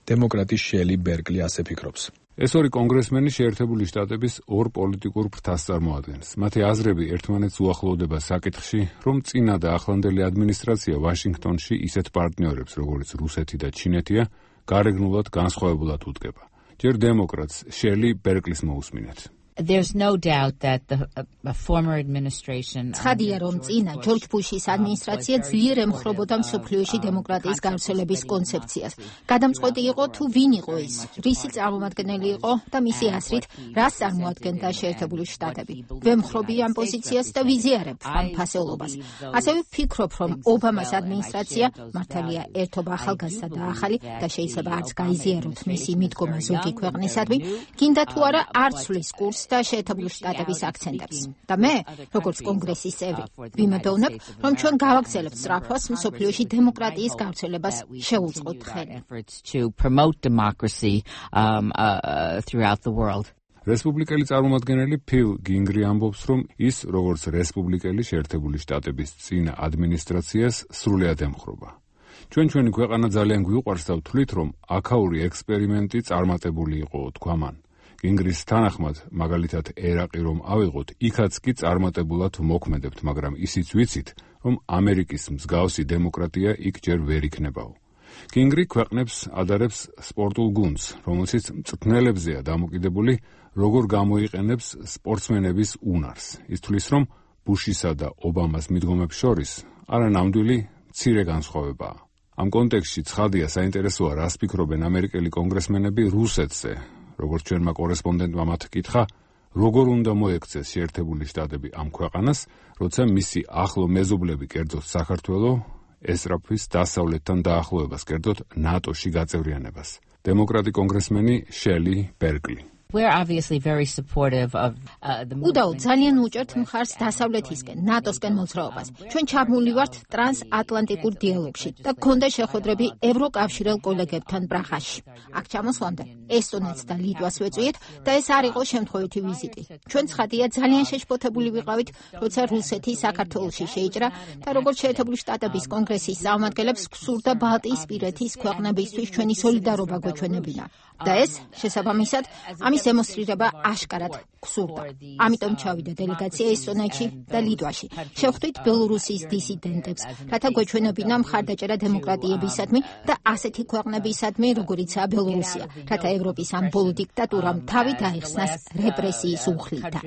დემოკრატი შელი ბერგლი ასე ფიქრობს. ეს ორი კონგრესმენი შეერთებული შტატების ორ პოლიტიკურ ფრთას წარმოადგენს. მათი აზრები ერთმანეთს უახლოვდება საკითხში, რომ წინა და ახლანდელი ადმინისტრაცია ვაშინგტონში ისეთ პარტნიორებს, როგორიც რუსეთი და ჩინეთია, გარეგნულად განსხვავებულად უდგება. ჯერ დემოკრატს შელი ბერგლის მოусმინეთ. There's no doubt that the former administration ცხადია, რომ წინა ჯორჯ ბუშის ადმინისტრაცია ძლიერ ემხრობოდა მსოფლიოში დემოკრატიის გავრცელების კონცეფციას. გადამწყვეტი იყო თუ ვინ იყო ის, რისი წარმომადგენელი იყო და მისი აზრით რას წარმოადგენდა შეერთებული შტატები. ვემხრობი ამ პოზიციას და ვიზიარებ ამ ფასეულობას. ასევე ვფიქრობ, რომ ობამას ადმინისტრაცია მართალია ერთობა ახალგაზრდა და ახალი და შეიძლება არც გაიზიაროთ მისი მიდგომა ზოგი ქვეყნისადმი, გინდა თუ არა არ ცვლის კურსს და შეერთებული შტატების აქცენტებს. და მე, როგორც კონგრესის წევრი, ვიმედოვნებ, რომ ჩვენ გავაგრძელებთ სწრაფვას მსოფლიოში დემოკრატიის გავრცელებას შევუწყოთ ხელი. რესპუბლიკელი წარმომადგენელი ფილ გინგრი ამბობს, რომ ის, როგორც რესპუბლიკელი შეერთებული შტატების წინა ადმინისტრაციას სრულიად ემხრობა. ჩვენი ქვეყანა ძალიან გვიყვარს და ვთვლით, რომ აქაური ექსპერიმენტი წარმატებული იყო, თქვა მან. გინგრის თანახმად, მაგალითად ერაყი რომ ავიღოთ, იქაც კი წარმატებულად მოქმედებთ, მაგრამ ისიც ვიცით, რომ ამერიკის მსგავსი დემოკრატია იქ ჯერ ვერ იქნებაო. გინგრი ქვეყნებს ადარებს სპორტულ გუნდს, რომელშიც მწვრთნელებზეა დამოკიდებული, როგორ გამოიყენებს სპორტსმენების უნარს. ის თვლის, რომ ბუშისა და ობამას მიდგომებს შორის არანამდვილი მცირე განსხვავებაა. ამ კონტექსტში ცხადია საინტერესოა, რას ფიქრობენ ამერიკელი კონგრესმენები რუსეთზე. როგორც ჩვენმა კორესპონდენტმა მათ კითხა, როგორ უნდა მოექცეს შეერთებული შტატები ამ ქვეყანას, როცა მისი ახლო მეზობლები კერძოდ საქართველო ესწრაფვის დასავლეთთან დაახლოებას, კერძოდ ნატოში გაწევრიანებას. დემოკრატი კონგრესმენი შელი ბერკლი. We're obviously very supportive of უდაოდ ძალიან უჭერთ მხარს დასავლეთისკენ, ნატოსკენ მოძრაობას. ჩვენ ჩაბმული ვართ ტრანსატლანტიკურ დიალოგში და გქონდა შეხვედრები ევროკავშირელ კოლეგებთან პრაღაში. აქ ჩამოსვლამდე ესტონეთს და ლიტვას ვეწვიეთ და ეს არ იყო შემთხვევითი ვიზიტი. ჩვენ ცხადია ძალიან შეშფოთებული ვიყავით, როცა რუსეთი საქართველოში შეიჭრა და როგორც შეერთებული შტატების კონგრესის წარმომადგენლებს გსურდა ბალტიისპირეთის ქვეყნებისთვის ჩვენი სოლიდარობა გვეჩვენებინა. და ეს შესაბამისად ამის დემონსტრირება აშკარად გსურდა. ამიტომ ჩავიდა დელეგაცია ესტონეთში და ლიტვაში. შევხვდით ბელორუსიის დისიდენტებს, რათა გვეჩვენებინა მხარდაჭერა დემოკრატიებისადმი და ასეთი ქვეყნებისადმი, როგორიცაა ბელორუსია, რათა ევროპის ამ ბოლო დიქტატურამ თავი დაიხსნას რეპრესიის უხლიდან.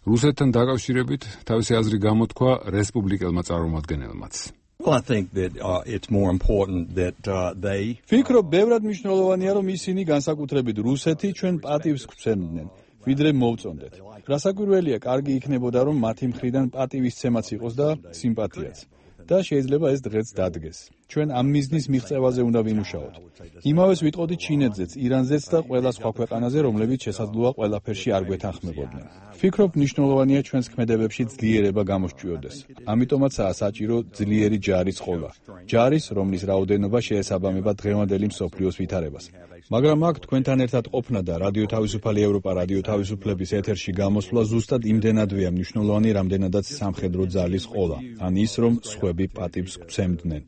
რუსეთთან დაკავშირებით თავისი აზრი გამოთქვა რესპუბლიკელმა წარმომადგენელმაც. Well, I think that it's more important that they Ფიქრობ, ბევრად მნიშვნელოვანია, რომ ისინი განსაკუთრებით რუსეთი ჩვენ პატივს გვცემდნენ, ვიდრე მოვწონდეთ. გასაკვირველია, კარგი იქნებოდა, რომ მათი მხრიდან პატივისცემაც იყოს და სიმპათიაც. და შეიძლება ეს დღეც დადგეს. ჩვენ ამ მიზნის მიღწევაზე უნდა ვიმუშაოთ. იმავეს ვიტყოდი ჩინეთზეც, ირანზეც და ყველა სხვა ქვეყანაზე, რომლებიც შესაძლოა ყველაფერში არ გვეთანხმებოდნენ. ფიქრობ, მნიშვნელოვანია ჩვენს ქმედებებში ძლიერება გამოსჭიოდეს. ამიტომაცაა საჭირო ძლიერი ჯარის ყოლა. ჯარის, რომლის რაოდენობა შეესაბამება დღევანდელი მსოფლიოს ვითარებას. მაგრამ აქ თქვენთან ერთად ყოფნა და რადიო თავისუფალი ევროპა, რადიო თავისუფლების ეთერში გამოსვლა ზუსტად იმდენადვეა მნიშვნელოვანი, რამდენადაც სამხედრო ძალის ყოლა, ან ის, რომ სხვები პატივს გვცემდნენ.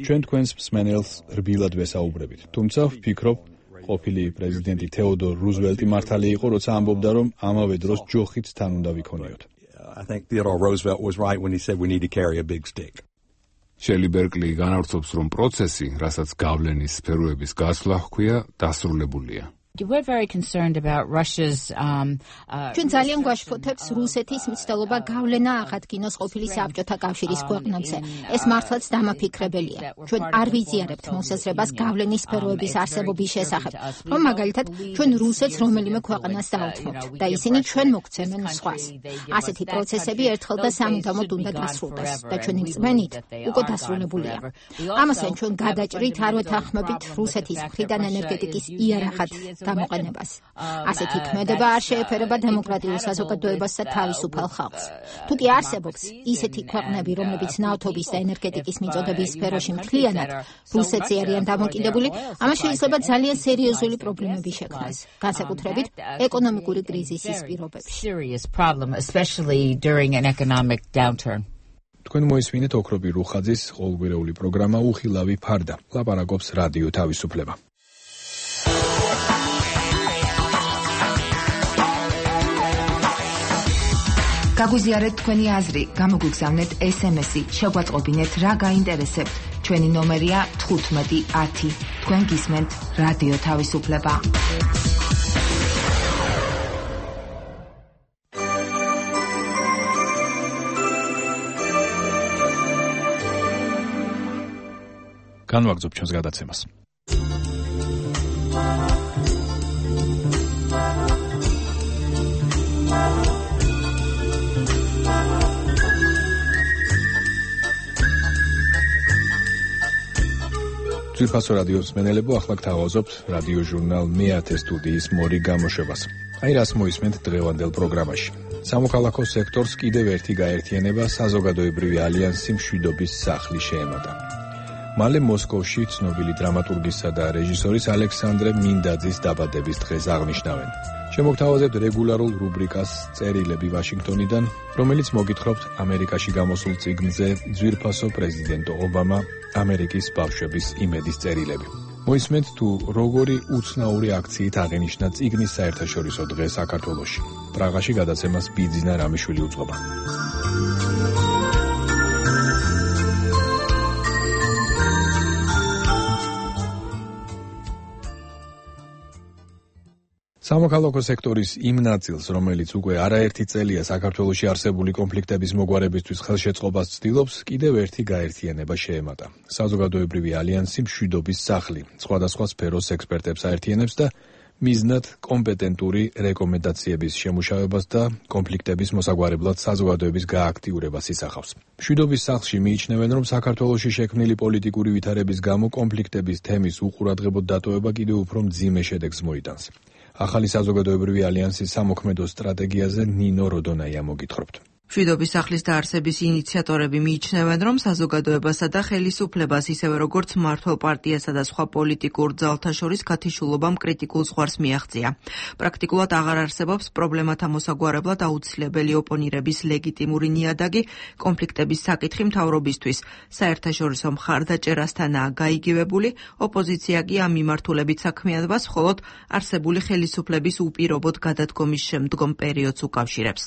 ჩვენ თქვენს მსმენელს რბილად ვესაუბრებით. თუმცა ვფიქრობ, ყოფილი პრეზიდენტი თეოდორ რუზველტი მართალი იყო, როცა ამბობდა, რომ ამავე დროს ჯოხიც თან უნდა ვიქონიოთ. I think Theodore Roosevelt was right when he said we need to carry a big stick. შელი ბერკლი განავრცობს, რომ პროცესი, რასაც გავლენის სფეროების გასვლა ჰქვია, დასრულებულია. We're very concerned about Russia's ჩვენ ძალიან გვაშფოთებს რუსეთის მცდელობა გავლენა აღადგინოს ყოფილი საბჭოთა კავშირის ქვეყნებზე. ეს მართლაც დამაფიქრებელია. ჩვენ არ ვიზიარებთ მოსაზრებას გავლენის სფეროების არსებობის შესახებ, რომ მაგალითად ჩვენ რუსეთს რომელიმე ქვეყანას დაუთმობთ და ისინი ჩვენ მოგცემენ სხვას. ასეთი პროცესები ერთხელ და სამუდამოდ უნდა დასრულდეს და ჩვენი რწმენით უკვე დასრულებულია. ამასთან ჩვენ გადაჭრით არ ვეთანხმებით რუსეთის მხრიდან ენერგეტიკის იარაღად გამოყენებას. ასეთი ქმედება არ შეეფერება დემოკრატიულ საზოგადოებას და თავისუფალ ხალხს. თუ კი არსებობს ისეთი ქვეყნები, რომლებიც ნავთობის და ენერგეტიკის მიწოდების სფეროში მთლიანად რუსეთზე არიან დამოკიდებული, ამას შეიძლება ძალიან სერიოზული პრობლემები შექმნას, განსაკუთრებით ეკონომიკური კრიზისის პირობებში. თქვენ მოისმინეთ ოქრობი რუხაძის ყოველკვირეული პროგრამა უხილავი ფარდა. ლაპარაკობს რადიო თავისუფლება. გაგვიზიარეთ თქვენი აზრი, გამოგვიგზავნეთ SMS-ი, შეგვაწყობინეთ რა გაინტერესებთ. ჩვენი ნომერია 1510. თქვენ გისმენთ რადიო თავისუფლება. განვაგრძობ ჩვენს გადაცემას. ძვირფასო რადიოს მსმენელებო, ახლა გთავაზობთ რადიო ჟურნალ მე-10 სტუდიის მორი გამოშვებას. აი რას მოისმენთ დღევანდელ პროგრამაში. სამოქალაქო სექტორს კიდევ ერთი გაერთიანება საზოგადოებრივი ალიანსი მშვიდობის სახლი შეემატა. მალე მოსკოვში ცნობილი დრამატურგისა და რეჟისორის ალექსანდრე მინდაძის დაბადების დღეს აღნიშნავენ. შემოგთავაზებთ რეგულარულ რუბრიკას წერილები ვაშინგტონიდან, რომელიც მოგითხრობთ ამერიკაში გამოსულ წიგნზე ძვირფასო პრეზიდენტო ობამა ამერიკის ბავშვების იმედის წერილები. მოისმენთ თუ როგორი უცნაური აქციით აღინიშნა წიგნის საერთაშორისო დღე საქართველოში. პრაღაში გადაცემას ბიძინა რამიშვილი უძღვება. სამოქალაქო სექტორის იმ ნაწილს, რომელიც უკვე არაერთი წელია საქართველოში არსებული კონფლიქტების მოგვარებისთვის ხელშეწყობას ცდილობს, კიდევ ერთი გაერთიანება შეემატა. საზოგადოებრივი ალიანსი მშვიდობის სახლი, სხვადასხვა სფეროს ექსპერტებს აერთიანებს და მიზნად კომპეტენტური რეკომენდაციების შემუშავებას და კონფლიქტების მოსაგვარებლად საზოგადოების გააქტიურებას ისახავს. მშვიდობის სახლში მიიჩნევენ, რომ საქართველოში შექმნილი პოლიტიკური ვითარების გამო კონფლიქტების თემის უყურადღებოდ დატოვება კიდევ უფრო მძიმე შედეგს მოიტანს. ახალი საზოგადოებრივი ალიანსის სამოქმედო სტრატეგიაზე ნინო როდონაია მოგითხრობთ. მშვიდობის სახლის დაარსების ინიციატორები მიიჩნევენ, რომ საზოგადოებასა და ხელისუფლებას, ისევე როგორც მმართველ პარტიასა და სხვა პოლიტიკურ ძალთა შორის გათიშულობამ კრიტიკულ ზღვარს მიაღწია. პრაქტიკულად აღარ არსებობს პრობლემათა მოსაგვარებლად აუცილებელი ოპონირების ლეგიტიმური ნიადაგი, კონფლიქტების საკითხი მთავრობისთვის საერთაშორისო მხარდაჭერასთანაა გაიგივებული, ოპოზიცია კი ამ მიმართულებით საქმიანობას მხოლოდ არსებული ხელისუფლების უპირობოდ გადადგომის შემდგომ პერიოდს უკავშირებს.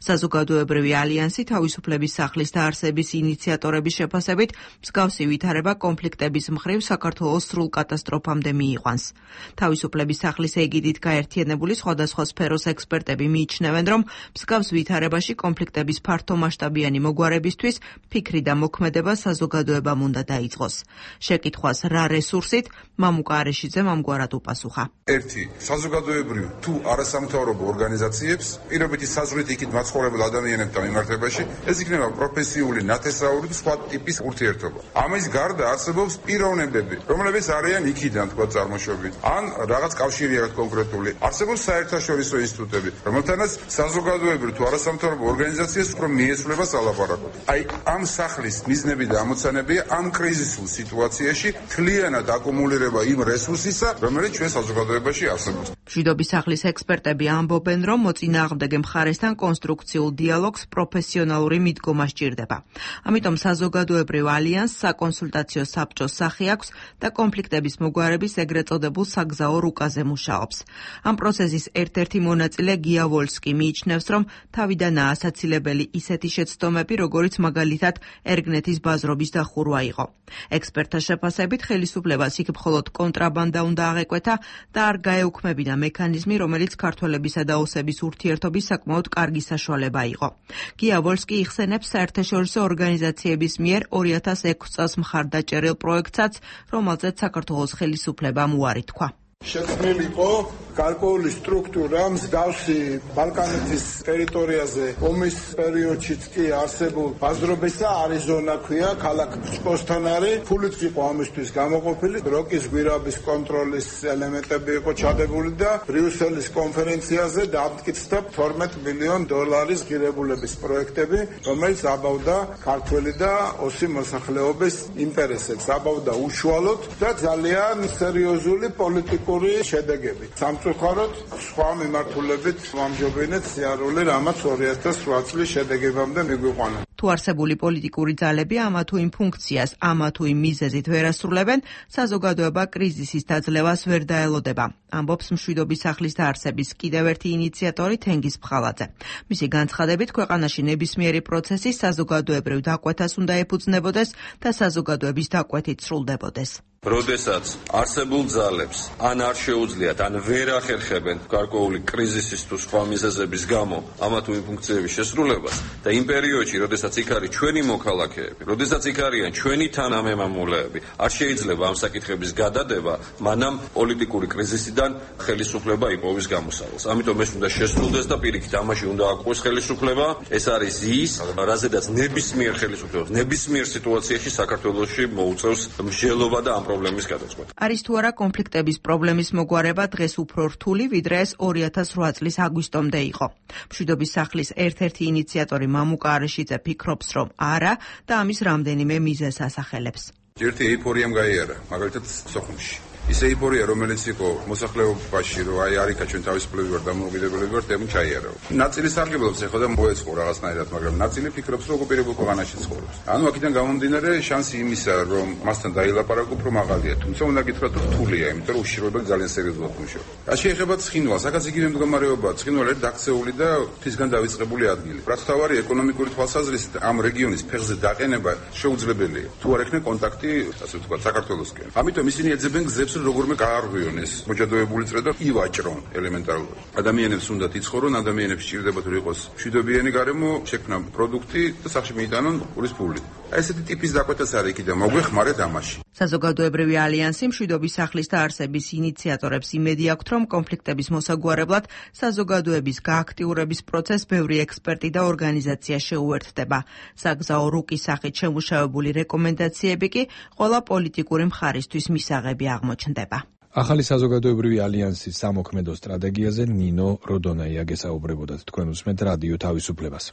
საზოგადოებრივი ალიანსი თავისუფლების სახლის დაარსების ინიციატორების შეფასებით მსგავსი ვითარება კონფლიქტების მხრივ საქართველოს სრულ კატასტროფამდე მიიყვანს. თავისუფლების სახლის ეგიდით გაერთიანებული სხვადასხვა სფეროს ექსპერტები მიიჩნევენ, რომ მსგავს ვითარებაში კონფლიქტების ფართომასშტაბიანი მოგვარებისთვის ფიქრი და მოქმედება საზოგადოებამ უნდა დაიწყოს. შეკითხვას რა რესურსით მამუკა არეშიძემ ამგვარად უპასუხა. ერთი საზოგადოებრივ თუ არასამთავრობო ორგანიზაციებს პირობითი საზღვრით იქით მაცხოვრებელ ადამიანებთან მიმართებაში ეს იქნება პროფესიული, ნათესაური და სხვა ტიპის ურთიერთობა. ამის გარდა არსებობს პიროვნებები, რომლებიც არიან იქიდან თქვა წარმოშობით, ან რაღაც კავშირი აქვს კონკრეტული. არსებობს საერთაშორისო ინსტიტუტები, რომელთანაც საზოგადოებრივ თუ არასამთავრობო ორგანიზაციას უფრო მიეცვლება სალაპარაკო. აი ამ სახლის მიზნები და ამოცანებია ამ კრიზისულ სიტუაციაში მთლიანად აკუმულირება იმ რესურსისა, რომელიც ჩვენ საზოგადოებაში არსებობს. მშვიდობის სახლის ექსპერტები ამბობენ, რომ მოწინააღმდეგე მხარესთან კონსტრუქციულ დიალოგს პროფესიონალური მიდგომა სჭირდება. ამიტომ საზოგადოებრივ ალიანსს საკონსულტაციო საბჭოს სახე აქვს და კონფლიქტების მოგვარების ეგრეთ წოდებულ საგზაო რუკაზე მუშაობს. ამ პროცესის ერთ-ერთი მონაწილე გია ვოლსკი მიიჩნევს, რომ თავიდანაა ასაცილებელი ისეთი შეცდომები, როგორიც მაგალითად ერგნეთის ბაზრობის დახურვა იყო. ექსპერტთა შეფასებით ხელისუფლებას იქ მხოლოდ კონტრაბანდა უნდა აღეკვეთა და არ გაეუქმებინა მექანიზმი, რომელიც ქართველებისა და ოსების ურთიერთობის საკმაოდ კარგი საშუალება იყო. გია ვოლსკი იხსენებს საერთაშორისო ორგანიზაციების მიერ 2006 წელს მხარდაჭერილ პროექტსაც, რომელზეც საქართველოს ხელისუფლებამ უარი თქვა. შექმნილი იყო გარკვეული სტრუქტურა მსგავსი ბალკანეთის ტერიტორიაზე ომის პერიოდშიც კი არსებულ ბაზრობისა არიზონა ქვია, ქალაქ ფსკოსთან არის, ფულიც იყო ამისთვის გამოყოფილი, როკის გვირაბის კონტროლის ელემენტები იყო ჩადებული და ბრიუსელის კონფერენციაზე დამტკიცდა $12 მილიონ ღირებულების პროექტები, რომელიც აბავდა ქართველი და ოსი მოსახლეობის ინტერესებს, აბავდა უშუალოდ და ძალიან სერიოზული პოლიტიკური შედეგები. სამწუხაროდ სხვა მიმართულებით ვამჯობინეთ სიარული, რამაც 2008 წლის შედეგებამდე მიგვიყვანა. თუ არსებული პოლიტიკური ძალები ამა თუ იმ ფუნქციას, ამა თუ იმ მიზეზით ვერ ასრულებენ, საზოგადოება კრიზისის დაძლევას ვერ დაელოდება. ამბობს მშვიდობის სახლის დაარსების კიდევ ერთი ინიციატორი თენგიზ ფხალაძე. მისი განცხადებით, ქვეყანაში ნებისმიერი პროცესი საზოგადოებრივ დაკვეთას უნდა ეფუძნებოდეს და საზოგადოების დაკვეთით სრულდებოდეს. როდესაც არსებულ ძალებს ან არ შეუძლიათ, ან ვერ ახერხებენ გარკვეული კრიზისის თუ სხვა მიზეზების გამო ამა თუ იმ ფუნქციების შესრულებას და იმ პერიოდში, როდესაც იქ არის ჩვენი მოქალაქეები, როდესაც იქ არიან ჩვენი თანამემამულეები, არ შეიძლება ამ საკითხების გადადება, მანამ პოლიტიკური კრიზისიდან ხელისუფლება იპოვის გამოსავალს. ამიტომ ეს უნდა შესრულდეს და პირიქით ამაში უნდა აკყვეს ხელისუფლება. ეს არის ის, რაზედაც ნებისმიერ ხელისუფლებას, ნებისმიერ სიტუაციაში საქართველოში მოუწევს მსჯელობა და პრობლემის გადაწყვეტა. არის თუ არა კონფლიქტების პრობლემის მოგვარება დღეს უფრო რთული, ვიდრე ეს 2008 წლის აგვისტომდე იყო. მშვიდობის სახლის ერთ-ერთი ინიციატორი მამუკა არეშიძე ფიქრობს, რომ არა და ამის რამდენიმე მიზეზს ასახელებს. ერთი ეიფორიამ გაიარა, მაგალითად სოხუმში. ის ეიფორია, რომელიც იყო მოსახლეობაში, რომ აი არიქა ჩვენ თავისუფლები ვარ, დამოუკიდებლები ვარ, თემ ჩაიარავ. ნაწილი სარგებლობს ეხლა და მოეწყო რაღაცნაირად, მაგრამ ნაწილი ფიქრობს, რომ ოკუპირებულ ქვეყანაში ცხოვრობს. ანუ აქედან გამომდინარე შანსი იმისა, რომ მასთან დაილაპარაკო უფრო მაღალია, თუმცა უნდა გითხრათ, რომ რთულია, იმიტომ რომ უშიშროება ძალიან სერიოზულად მუშაობს. რაც შეეხება ცხინვალს, აქაც იგივე მდგომარეობაა. ცხინვალი არის დაქცეული და ღვთისგან დავიწყებული ადგილი. რაც თავარი ეკონომიკური თვალსაზრისით ამ რეგიონის ფეხზე დაყენება შეუძლებელია. თუ არ ექნება კონტაქტი, ასე ვთქვათ, საქართველოსკენ. ამიტომ ისინი ეძებენ გზებს, როგორმე გაარღვიონ ეს მოჭადოებული წრე და ივაჭრონ ელემენტარულად. ადამიანებს უნდათ იცხოვრონ, ადამიანებს სჭირდებათ რომ იყოს მშვიდობიანი გარემო, შექმნა პროდუქტი და სახში მიიტანონ პურის ფული. ესეთი ტიპის დაკვეთაც არის იქიდან მოგვეხმარეთ ამაში. საზოგადოებრივი ალიანსი მშვიდობის სახლის დაარსების ინიციატორებს იმედი აქვთ, რომ კონფლიქტების მოსაგვარებლად საზოგადოების გააქტიურების პროცესს ბევრი ექსპერტი და ორგანიზაცია შეუერთდება. საგზაო რუკის სახით შემუშავებული რეკომენდაციები კი ყველა პოლიტიკური მხარისთვის მისაღები აღმოჩნდება. ახალი საზოგადოებრივი ალიანსის სამოქმედო სტრატეგიაზე ნინო როდონაია გესაუბრებოდათ. თქვენ უსმენთ რადიო თავისუფლებას.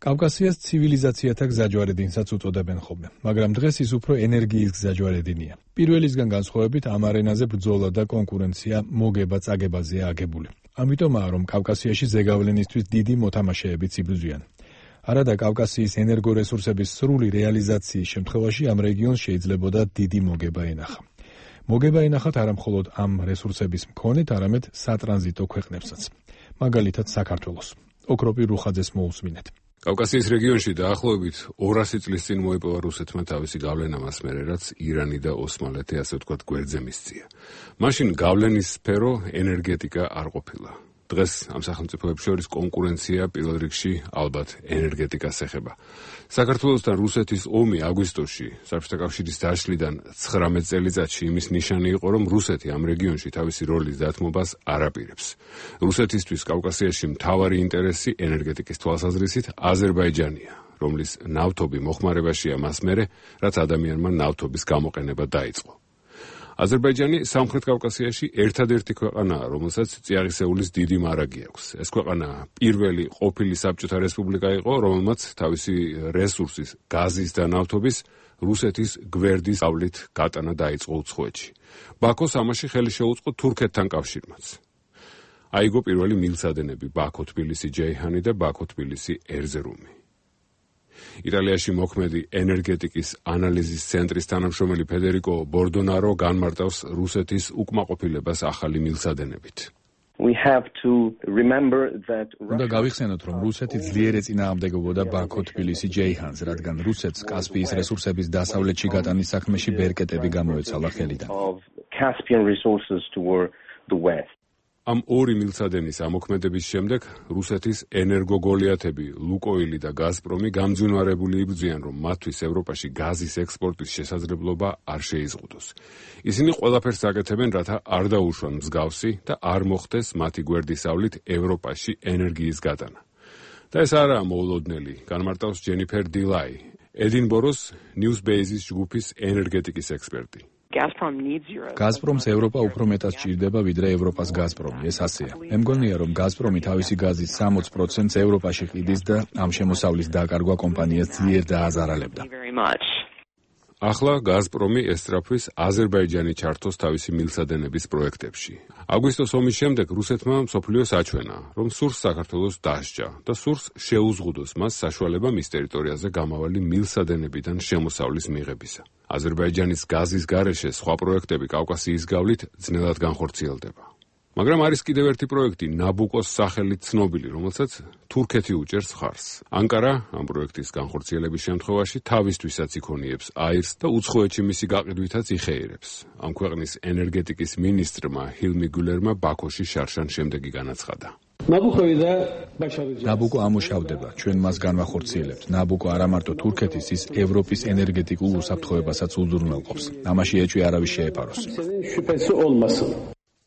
კავკასიას ცივილიზაციათა გზაჯვარედინსაც უწოდებენ ხოლმე, მაგრამ დღეს ის უფრო ენერგიის გზაჯვარედინია. პირველისგან განსხვავებით ამ არენაზე ბრძოლა და კონკურენცია მოგება-წაგებაზეა აგებული. ამიტომაა, რომ კავკასიაში ზეგავლენისთვის დიდი მოთამაშეებიც იბრძვიან. არადა კავკასიის ენერგორესურსების სრული რეალიზაციის შემთხვევაში ამ რეგიონს შეიძლებოდა დიდი მოგება ენახა. მოგება ენახათ არა მხოლოდ ამ რესურსების მქონეთ, არამედ სატრანზიტო ქვეყნებსაც. მაგალითად საქართველოს. ოქროპი რუხაძეს მოусმინეთ. კავკასიის რეგიონში დაახლოებით 200 წლის წინ მოიპოვა რუსეთმა თავისი გავლენა მას მერე, რაც ირანი და ოსმალეთი ასე ვთქვათ გვერდზე მისწია. მაშინ გავლენის სფერო ენერგეტიკა არ ყოფილა. დღეს ამ სახელმწიფოებს შორის კონკურენცია პირველ რიგში ალბათ ენერგეტიკას ეხება. საქართველოსთან რუსეთის ომი აგვისტოში საბჭოთა კავშირის დაშლიდან 19 წელიწადში იმის ნიშანი იყო, რომ რუსეთი ამ რეგიონში თავისი როლის დათმობას არ აპირებს. რუსეთისთვის კავკასიაში მთავარი ინტერესი ენერგეტიკის თვალსაზრისით აზერბაიჯანია, რომლის ნავთობი მოხმარებაშია მას მერე, რაც ადამიანმა ნავთობის გამოყენება დაიწყო. აზერბაიჯანი სამხრეთ კავკასიაში ერთადერთი ქვეყანაა, რომელსაც წიაღისეულის დიდი მარაგი აქვს. ეს ქვეყანა პირველი ყოფილი საბჭოთა რესპუბლიკა იყო, რომელმაც თავისი რესურსის, გაზის და ნავთობის რუსეთის გვერდის გავლით გატანა დაიწყო უცხოეთში. ბაქოს ამაში ხელი შეუწყო თურქეთთან კავშირმაც. აიგო პირველი მილსადენები ბაქო-თბილისი-ჯეიჰანი და ბაქო-თბილისი-ერზერუმი. იტალიაში მოქმედი ენერგეტიკის ანალიზის ცენტრის თანამშრომელი ფედერიკო ბორდონარო განმარტავს რუსეთის უკმაყოფილებას ახალი მილსადენებით. უნდა გავიხსენოთ, რომ რუსეთი ძლიერ ეწინააღმდეგებოდა ბაქო-თბილისი-ჯეიჰანს, რადგან რუსეთს კასპიის რესურსების დასავლეთში გატანის საქმეში ბერკეტები გამოეცალა ხელიდან. ამ ორი მილსადენის ამოქმედების შემდეგ რუსეთის ენერგოგოლიათები ლუკოილი და გაზპრომი გამძვინვარებული იბრძვიან, რომ მათთვის ევროპაში გაზის ექსპორტის შესაძლებლობა არ შეიზღუდოს. ისინი ყველაფერს აკეთებენ, რათა არ დაუშვან მსგავსი და არ მოხდეს მათი გვერდისავლით ევროპაში ენერგიის გატანა. და ეს არაა მოულოდნელი, განმარტავს ჯენიფერ დილაი, ედინბოროს ნიუსბეიზის ჯგუფის ენერგეტიკის ექსპერტი. გაზპრომს ევროპა უფრო მეტად სჭირდება, ვიდრე ევროპას გაზპრომი. ეს ასეა. მე მგონია, რომ გაზპრომი თავისი გაზის 60%-ს ევროპაში ყიდის და ამ შემოსავლის დაკარგვა კომპანიას ძლიერ დააზარალებდა. ახლა გაზპრომი ესწრაფვის აზერბაიჯანი ჩართოს თავისი მილსადენების პროექტებში. აგვისტოს ომის შემდეგ რუსეთმა მსოფლიოს აჩვენა, რომ სურს საქართველოს დასჯა და სურს შეუზღუდოს მას საშუალება მის ტერიტორიაზე გამავალი მილსადენებიდან შემოსავლის მიღებისა. აზერბაიჯანის გაზის გარეშე სხვა პროექტები კავკასიის გავლით ძნელად განხორციელდება. მაგრამ არის კიდევ ერთი პროექტი, ნაბუკოს სახელით ცნობილი, რომელსაც თურქეთი უჭერს ხარს. ანკარა ამ პროექტის განხორციელების შემთხვევაში თავისთვისაც იქონიებს აირს და უცხოეთში მისი გაყიდვითაც იხეირებს. ამ ქვეყნის ენერგეტიკის მინისტრმა ჰილმი გულერმა ბაქოში შარშან შემდეგი განაცხადა. ნაბუკო ამუშავდება, ჩვენ მას განვახორციელებთ. ნაბუკო არა მარტო თურქეთის, ის ევროპის ენერგეტიკულ უსაფრთხოებასაც უზრუნველყოფს. ამაში ეჭვი არავის შეეპაროს.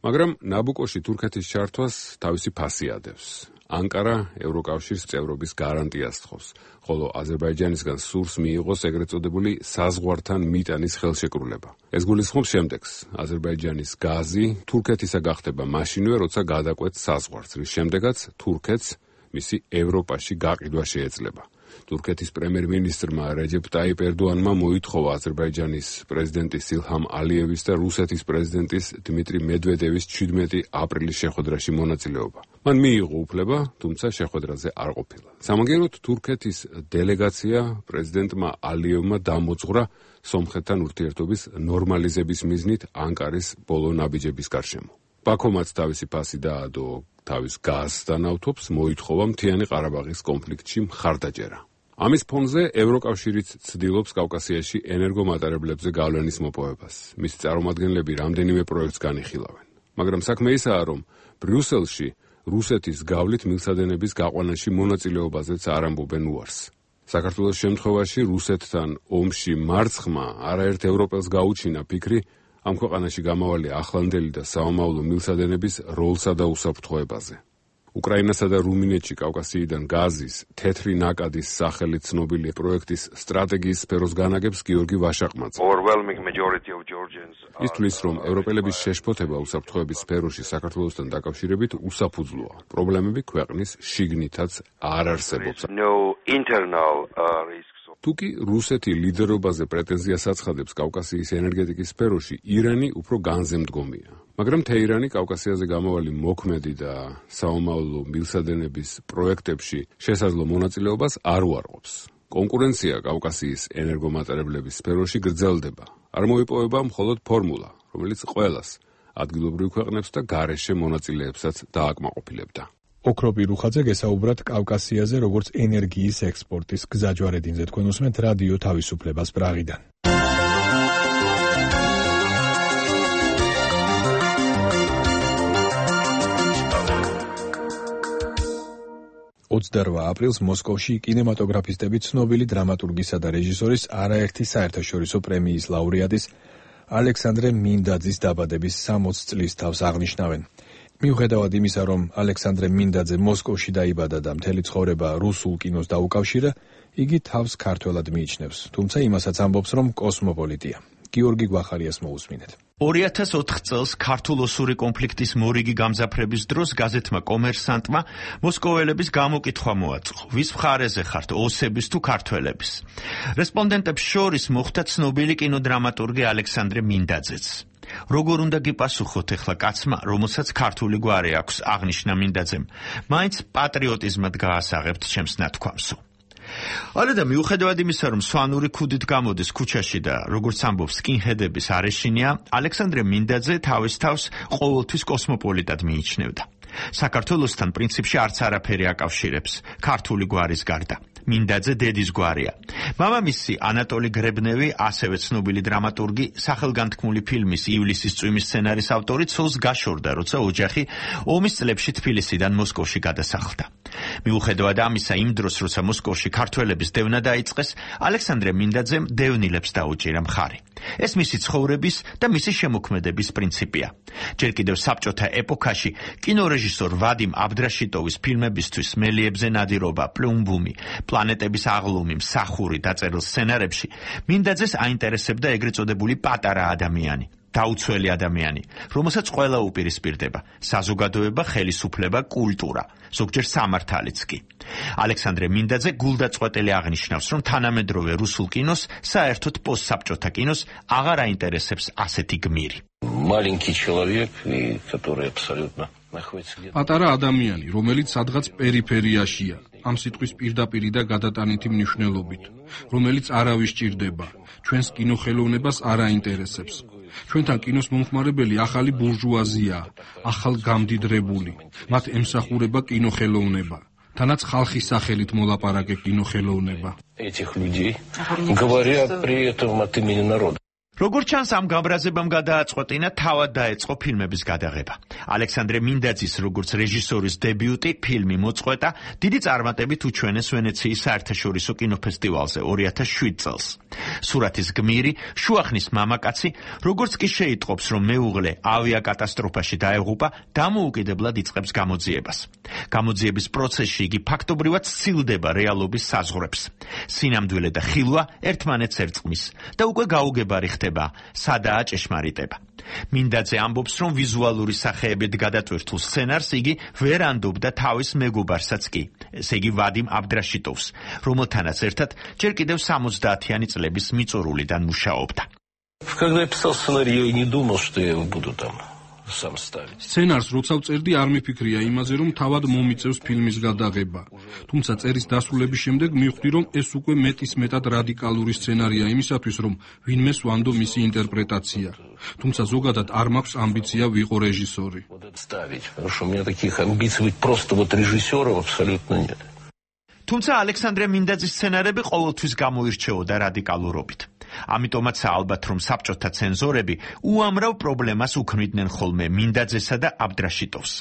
მაგრამ ნაბუკოში თურქეთის ჩართვას თავისი ფასი ადევს. ანკარა ევროკავშირის წევრობის გარანტიას თხოვს, ხოლო აზერბაიჯანისგან სურს მიიღოს ეგრეთ წოდებული საზღვართან მიტანის ხელშეკრულება. ეს გულისხმობს შემდეგს: აზერბაიჯანის გაზი თურქეთისა გახდება მაშინვე, როცა გადაკვეთს საზღვარს, რის შემდეგაც თურქეთს მისი ევროპაში გაყიდვა შეეძლება. თურქეთის პრემიერ-მინისტრმა რეჯეპ ტაიპ ერდოანმა მოითხოვა აზერბაიჯანის პრეზიდენტის ილჰამ ალიევის და რუსეთის პრეზიდენტის დმიტრი მედვედევის 17 აპრილის შეხვედრაში მონაწილეობა. მან მიიღო უფლება, თუმცა შეხვედრაზე არ ყოფილა. სამაგიეროდ თურქეთის დელეგაცია პრეზიდენტმა ალიევმა დამოძღვრა სომხეთთან ურთიერთობის ნორმალიზების მიზნით ანკარის ბოლო ნაბიჯების გარშემო. ბაქომაც თავისი ფასი დაადო თავის გაზთან ავთობს, მოითხოვა მთიანი ყარაბაღის კონფლიქტში მხარდაჭერა. ამის ფონზე ევროკავშირიც ცდილობს კავკასიაში ენერგომატარებლებზე გავლენის მოპოვებას. მისი წარმომადგენლები რამდენიმე პროექტს განიხილავენ. მაგრამ საქმე ისაა, რომ ბრიუსელში რუსეთის გავლით მილსადენების გაყვანაში მონაწილეობაზეც არ ამბობენ უარს. საქართველოს შემთხვევაში რუსეთთან ომში მარცხმა არაერთ ევროპელს გაუჩინა ფიქრი ამ ქვეყანაში გამავალი ახლანდელი და საომავლო მილსადენების როლსა და უსაფრთხოებაზე. უკრაინასა და რუმინეთში კავკასიიდან გაზის თეთრი ნაკადის სახელით ცნობილი პროექტის სტრატეგიის სფეროს განაგებს გიორგი ვაშაყმაძე. ის თვლის, რომ ევროპელების შეშფოთება უსაფრთხოების სფეროში საქართველოსთან დაკავშირებით უსაფუძვლოა. პრობლემები ქვეყნის შიგნითაც არ არსებობს. თუკი რუსეთი ლიდერობაზე პრეტენზიას აცხადებს კავკასიის ენერგეტიკის სფეროში, ირანი უფრო განზემდგომია. მაგრამ თეირანი კავკასიაზე გამავალი მოქმედი და საომავლო მილსადენების პროექტებში შესაძლო მონაწილეობას არ უარყოფს. კონკურენცია კავკასიის ენერგომატარებლების სფეროში გრძელდება. არ მოიპოვება მხოლოდ ფორმულა, რომელიც ყველას, ადგილობრივ ქვეყნებს და გარეშე მონაწილეებსაც დააკმაყოფილებდა. ოქროპი რუხაძე გესაუბრათ კავკასიაზე, როგორც ენერგიის ექსპორტის გზაჯვარედინზე. თქვენ უსმენთ რადიო თავისუფლებას პრაღიდან. აპრილს მოსკოვში კინემატოგრაფისტები ცნობილი დრამატურგისა და რეჟისორის არაერთი საერთაშორისო პრემიის ლაურეატის ალექსანდრე მინდაძის დაბადების 60 წლის თავს აღნიშნავენ. მიუხედავად იმისა, რომ ალექსანდრე მინდაძე მოსკოვში დაიბადა და მთელი ცხოვრება რუსულ კინოს დაუკავშირა, იგი თავს ქართველად მიიჩნევს, თუმცა იმასაც ამბობს, რომ კოსმოპოლიტია. გიორგი გვახარიას მოусმინეთ. 2004 წელს ქართულ-ოსური კონფლიქტის მორიგი გამძაფრების დროს გაზეთმა კომერსანტმა მოსკოველების გამოკითხვა მოაწყო, ვის მხარეზე ხართ, ოსების თუ ქართველების. რესპონდენტებს შორის მოხვდა ცნობილი კინოდრამატურგი ალექსანდრე მინდაძეც. როგორ უნდა გიპასუხოთ ახლა კაცმა, რომელსაც ქართული გვარი აქვს, აღნიშნა მინდაძემ, მაინც პატრიოტიზმად გაასაღებთ ჩემს ნათქვამსო. ალედა მიუხედავად იმისა, რომ სვანური ქუდით გამოდის ქუჩაში და როგორც ამბობს სკინჰედების არეშინია, ალექსანდრე მინდაძე თავის თავს ყოველთვის კოსმოპოლიტად მიიჩნევდა. საქართველოსთან პრინციპში არც არაფერი აკავშირებს, ქართული გვარის გარდა. მინდაძე დედის გვარია. მამამისი ანატოლი გრებნევი, ასევე ცნობილი დრამატურგი, სახელგანთქმული ფილმის ივლისის წვიმის სცენარის ავტორი, ცოლს გაშორდა, როცა ოჯახი ომის წლებში თბილისიდან მოსკოვში გადასახლდა. მიუხედავად ამისა, იმ დროს, როცა მოსკოვში ქართველების დევნა დაიწყეს, ალექსანდრე მინდაძემ დევნილებს დაუჭირა მხარი. ეს მისი ცხოვრების და მისი შემოქმედების პრინციპია. ჯერ კიდევ საბჭოთა ეპოქაში კინორეჟისორ ვადიმ აბდრაშიტოვის ფილმებისთვის მელიებზე ნადირობა, პლუმბუმი, პლანეტების აღლუმი, მსახური დაწერილ სცენარებში მინდაძეს აინტერესებდა ეგრეთ წოდებული პატარა ადამიანი, დაუცველი ადამიანი, რომელსაც ყველა უპირისპირდება: საზოგადოება, ხელისუფლება, კულტურა, ზოგჯერ სამართალიც კი. ალექსანდრე მინდაძე გულდაწყვეტელი აღნიშნავს, რომ თანამედროვე რუსულ კინოს, საერთოდ პოსტსაბჭოთა კინოს აღარ აინტერესებს ასეთი გმირი. პატარა ადამიანი, რომელიც სადღაც პერიფერიაშია, ამ სიტყვის პირდაპირი და გადატანითი მნიშვნელობით, რომელიც არავის ჭირდება, ჩვენს კინოხელოვნებას არ აინტერესებს. ჩვენთან კინოს მომხმარებელი ახალი ბურჟუაზიაა, ახალგამდიდრებული, მათ ემსახურება კინოხელოვნება, თანაც ხალხის სახელით მოლაპარაკე კინოხელოვნება. როგორც ჩანს, ამ გამრაზებამ გადააწყვეტინა თავად დაეწყო ფილმების გადაღება. ალექსანდრე მინდაძის როგორც რეჟისორის დებიუტი ფილმი მოწყვეტა დიდი წარმატებით უჩვენეს ვენეციის საერთაშორისო კინოფესტივალზე 2007 წელს. სურათის გმირი, შუახნის მამაკაცი, როგორც კი შეიტყობს, რომ მეუღლე ავიაკატასტროფაში დაეღუპა, დამოუკიდებლად იწყებს გამოძიებას. გამოძიების პროცესში იგი ფაქტობრივად სცილდება რეალობის საზღვრებს. სინამდვილე და ხილვა ერთმანეთს ერწყმის და უკვე გაუგებარი ხდება, სადაა ჭეშმარიტება. მინდაძე ამბობს, რომ ვიზუალური სახეებით გადატვირთულ სცენარს იგი ვერ ანდობდა თავის მეგობარსაც კი, ესე იგი ვადიმ აბდრაშიტოვს, რომელთანაც ერთად ჯერ კიდევ 70-იანი წლების მიწურულიდან მუშაობდა. Когда я писал сценарий, я не думал, что я его буду там сам ставить. სცენარს როცა ვწერდი, არ მიფიქრია იმაზე, რომ თავად მომიწევს ფილმის გადაღება. თუმცა წერის დასრულების შემდეგ მივხვდი, რომ ეს უკვე მეტისმეტად რადიკალური სცენარია იმისათვის, რომ ვინმეს ვანდო მისი ინტერპრეტაცია. თუმცა ზოგადად არ მაქვს ამბიცია ვიყო რეჟისორი. Ставить, потому что у меня таких амбиций быть просто вот режиссером абсолютно нет. თუმცა ალექსანდრე მინდაძის სცენარები ყოველთვის გამოირჩეოდა რადიკალურობით. ამიტომაც ალბათ რომ საბჭოთა ცენზორები უამრავ პრობლემას უქმნიდნენ ხოლმე მინდაძესა და აბდრაშიტოვს.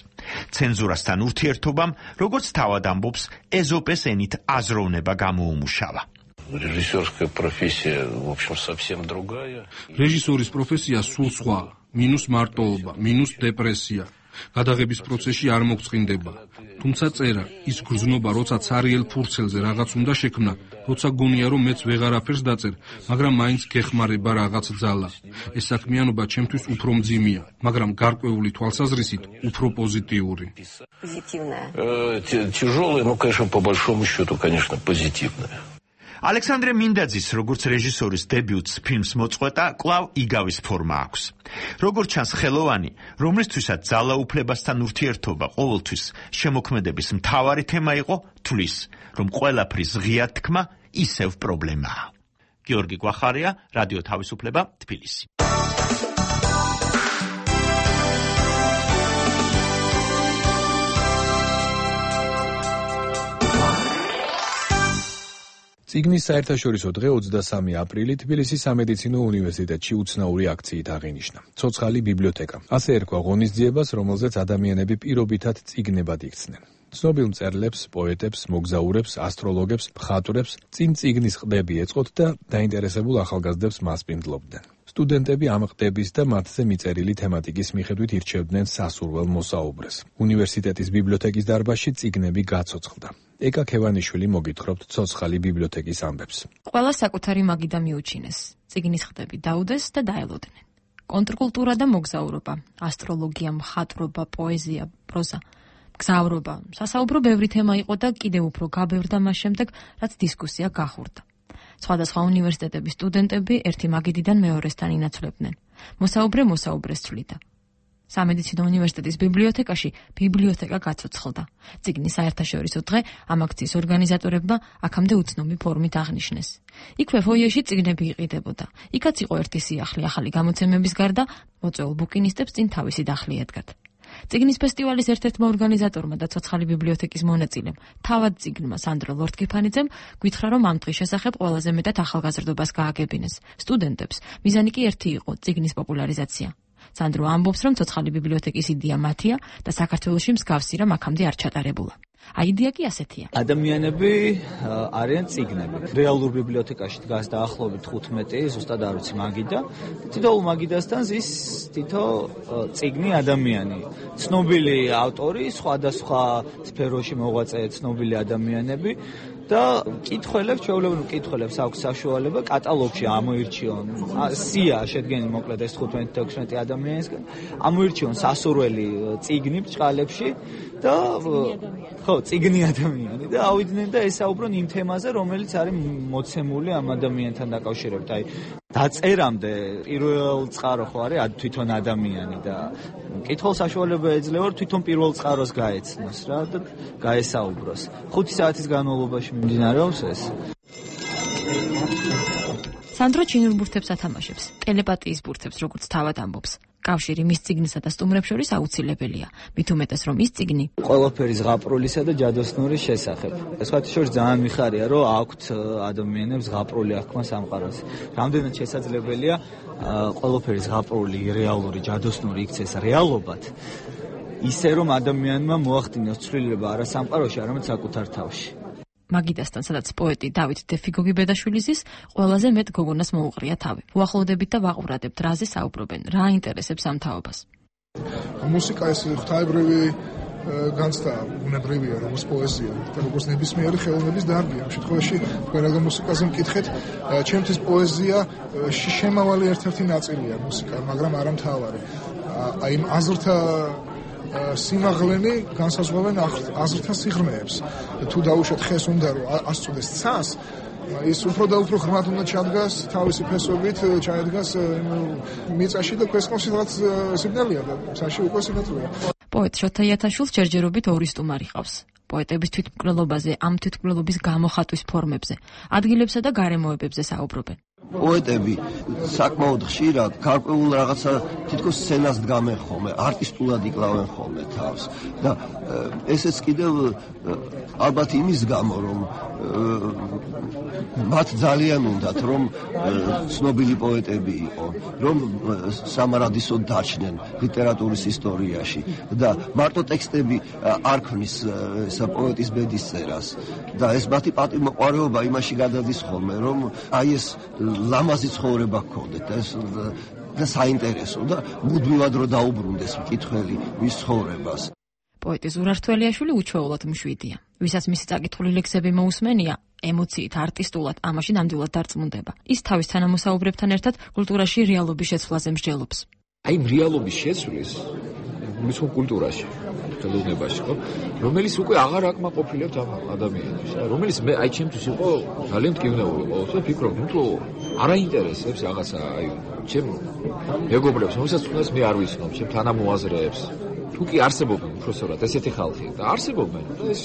ცენზურასთან ურთიერთობამ, როგორც თავად ამბობს, ეზოპეს ენით აზროვნება გამოუმუშავა. Режиссерская профессия, в общем, совсем другая. რეჟისორის პროფესია სულ სხვა, მინუს მარტოობა, მინუს დეპრესია. გადაღების პროცესში არ მოგწყინდება. თუმცა წერა, ის გრძნობა, როცა ცარიელ ფურცელზე რაღაც უნდა შექმნა, როცა გონია რომ მეც ვეღარაფერს დაწერ, მაგრამ მაინც გეხმარება რაღაც ძალა. ეს საქმიანობა ჩემთვის უფრო მძიმეა, მაგრამ გარკვეული თვალსაზრისით უფრო პოზიტიური. Тяжелая, но, конечно, по большому счету, конечно, позитивная. ალექსანდრე მინდაძის როგორც რეჟისორის დებიუტს ფილმს მოწყვეტა კვლავ იგავის ფორმა აქვს. როგორც ჩანს, ხელოვანი, რომლისთვისაც ძალაუფლებასთან ურთიერთობა ყოველთვის შემოქმედების მთავარი თემა იყო, თვლის, რომ ყველაფრის ღია თქმა ისევ პრობლემაა. გიორგი გვახარია, რადიო თავისუფლება, თბილისი. წიგნის საერთაშორისო დღე 23 აპრილი თბილისის სამედიცინო უნივერსიტეტში უცნაური აქციით აღინიშნა. ცოცხალი ბიბლიოთეკა. ასე ერქვა ღონისძიებას, რომელზეც ადამიანები პირობითად წიგნებად იქცნენ. ცნობილ მწერლებს, პოეტებს, მოგზაურებს, ასტროლოგებს, მხატვრებს წინ წიგნის ყდები ეწყოთ და დაინტერესებულ ახალგაზრდებს მასპინძლობდნენ. სტუდენტები ამ ყდების და მათზე მიწერილი თემატიკის მიხედვით ირჩევდნენ სასურველ მოსაუბრეს. უნივერსიტეტის ბიბლიოთეკის დარბაზში წიგნები გაცოცხლდა. ეკა ქევანიშვილი მოგითხრობთ ცოცხალი ბიბლიოთეკის ამბებს. ყველა საკუთარი მაგიდა მიუჩინეს. წიგნის ყდები დაუდეს და დაელოდნენ. კონტრკულტურა და მოგზაურობა, ასტროლოგია, მხატვრობა, პოეზია, პროზა, მგზავრობა, სასაუბრო ბევრი თემა იყო და კიდევ უფრო გაბევრდა მას შემდეგ, რაც დისკუსია გახურდა. სხვადასხვა უნივერსიტეტების სტუდენტები ერთი მაგიდიდან მეორესთან ინაცვლებდნენ. მოსაუბრე მოსაუბრეს თვლიდა. სამედიცინო უნივერსიტეტის ბიბლიოთეკაში ბიბლიოთეკა გაცოცხლდა. წიგნის საერთაშორისო დღე ამ აქციის ორგანიზატორებმა აქამდე უცნობი ფორმით აღნიშნეს. იქვე ფოიეში წიგნები იყიდებოდა. იქაც იყო ერთი სიახლე ახალი გამოცემების გარდა, მოწვეულ ბუკინისტებს წინ თავისი დახლი ედგათ. წიგნის ფესტივალის ერთ-ერთმა ორგანიზატორმა და ცოცხალი ბიბლიოთეკის მონაწილემ, თავად წიგნმა სანდრო ლორთქიფანიძემ გითხრა, რომ ამ დღის შესახებ ყველაზე მეტად ახალგაზრდობას გააგებინეს. სტუდენტებს მიზანი კი ერთი იყო, წიგნის პოპულარიზაცია. სანდრო ამბობს, რომ ცოცხალი ბიბლიოთეკის იდეა მათია და საქართველოში მსგავსი რამ აქამდე არ ჩატარებულა. აიდეა კი ასეთია. ადამიანები არიან წიგნები. რეალურ ბიბლიოთეკაში დგას დაახლოებით 15, ზუსტად არ ვიცი მაგიდა. თითოეულ მაგიდასთან ზის თითო წიგნი ადამიანი. ცნობილი ავტორი, სხვადასხვა სფეროში მოღვაწე ცნობილი ადამიანები. და კითხველებს, ჩვეულებრივ კითხველებს აქვს საშუალება კატალოგში ამოირჩიონ. სია შედგენილი მოკლედ ეს 15-16 ადამიანისგან. ამოირჩიონ სასურველი წიგნი ბრჭყალებში და ხო, წიგნი ადამიანი და ავიდნენ და ესაუბრონ იმ თემაზე, რომელიც არის მოცემული ამ ადამიანთან დაკავშირებით. აი, დაწერამდე პირველ წყარო ხო არის თვითონ ადამიანი და კითხულ საშუალება ეძლევა თვითონ პირველ წყაროს გაეცნოს რა და გაესაუბროს. 5 საათის განმავლობაში მიმდინარეობს ეს. სანდრო ჩინურ ბურთებს ათამაშებს, ტელეპათიის ბურთებს, როგორც თავად ამბობს. კავშირი მის წიგნსა და სტუმრებს შორის აუცილებელია. მით უმეტეს რომ ის წიგნი ყველაფერი ზღაპროლისა და ჯადოსნურის შესახებ. სხვათა შორის ძალიან მიხარია, რომ აქვთ ადამიანებს ზღაპროლი აღქმა სამყაროს. რამდენად შესაძლებელია ყველაფერი ზღაპროლი, რეალური, ჯადოსნური იქცეს რეალობად. ისე რომ ადამიანმა მოახდინოს ცვლილება არა სამყაროში, არამედ საკუთარ თავში. მაგიდასთან, სადაც პოეტი დავით დეფიგოგი ბედაშვილის ყველაზე მეტ გოგონას მოუყრია თავი. ვუახლოვდებით და ვაყურადებთ, რაზე საუბრობენ, რა აინტერესებს ამ თაობას. მუსიკა ეს ღვთაებრივი განცდა ბუნებრივია, როგორც პოეზია და როგორც ნებისმიერი ხელოვნების დარგია. ამ შემთხვევაში თქვენ რა მუსიკაზე მკითხეთ, ჩემთვის პოეზია შემავალი ერთ-ერთი ნაწილია მუსიკა, მაგრამ არა მთავარი. აი იმ აზრთა სიმაღლენი განსაზღვრავენ აზრთა სიღრმეებს. თუ დაუშვათ ხეს უნდა რომ ასწოდეს ცას, ის უფრო და უფრო ღრმად უნდა ჩადგას თავისი ფესვებით, ჩაედგას მიწაში და ქვესკნოში რაც სიგნალია და საში უკვე სინათლეა. პოეტ შოთა იათაშვილს ჯერჯერობით ორი სტუმარი ყავს. პოეტების თვითმკვლელობაზე, ამ თვითმკვლელობის გამოხატვის ფორმებზე, ადგილებსა და გარემოებებზე საუბრობენ. პოეტები საკმაოდ ხშირად გარკვეულ რაღაცა თითქოს სცენას დგამენ ხოლმე, არტისტულად იკლავენ ხოლმე თავს და ესეც კიდევ ალბათ იმის გამო, რომ მათ ძალიან უნდათ, რომ ცნობილი პოეტები იყო, რომ სამარადისოდ დაჩნენ ლიტერატურის ისტორიაში და მარტო ტექსტები არ ქმნის პოეტის ბედის წერას და ეს მათი პატივმოყვარეობა იმაში გადადის ხოლმე, რომ აი ეს ლამაზი ცხოვრება გქონდეთ და საინტერესო და მუდმივად რო დაუბრუნდეს მკითხველი მის ცხოვრებას. პოეტი ზურართველიაშვილი უჩვეულოდ მშვიდია. ვისაც მისი წაკითხული ლექსები მოусმენია, ემოციით, არტისტულად ამაში ნამდვილად დარწმუნდება. ის თავის თანამოსაუბრებთან ერთად კულტურაში რეალობის შეცვლაზე მსჯელობს. აი რეალობის შეცვლის მისო კულტურაში ხელოვნებაში ხო რომელიც უკვე აღარ აკმაყოფილებს ამ ადამიანებს რომელიც მე აი ჩემთვის იყო ძალიან მტკივნეული ყოველთვის ვფიქრობ ნუ არ აინტერესებს რაღაცა აი ჩემ მეგობრებს რომელსაც თუნდაც მე არ ვიცნობ ჩემ თანამოაზრეებს თუ კი არსებობენ უბრალოდ ესეთი ხალხი და არსებობენ ეს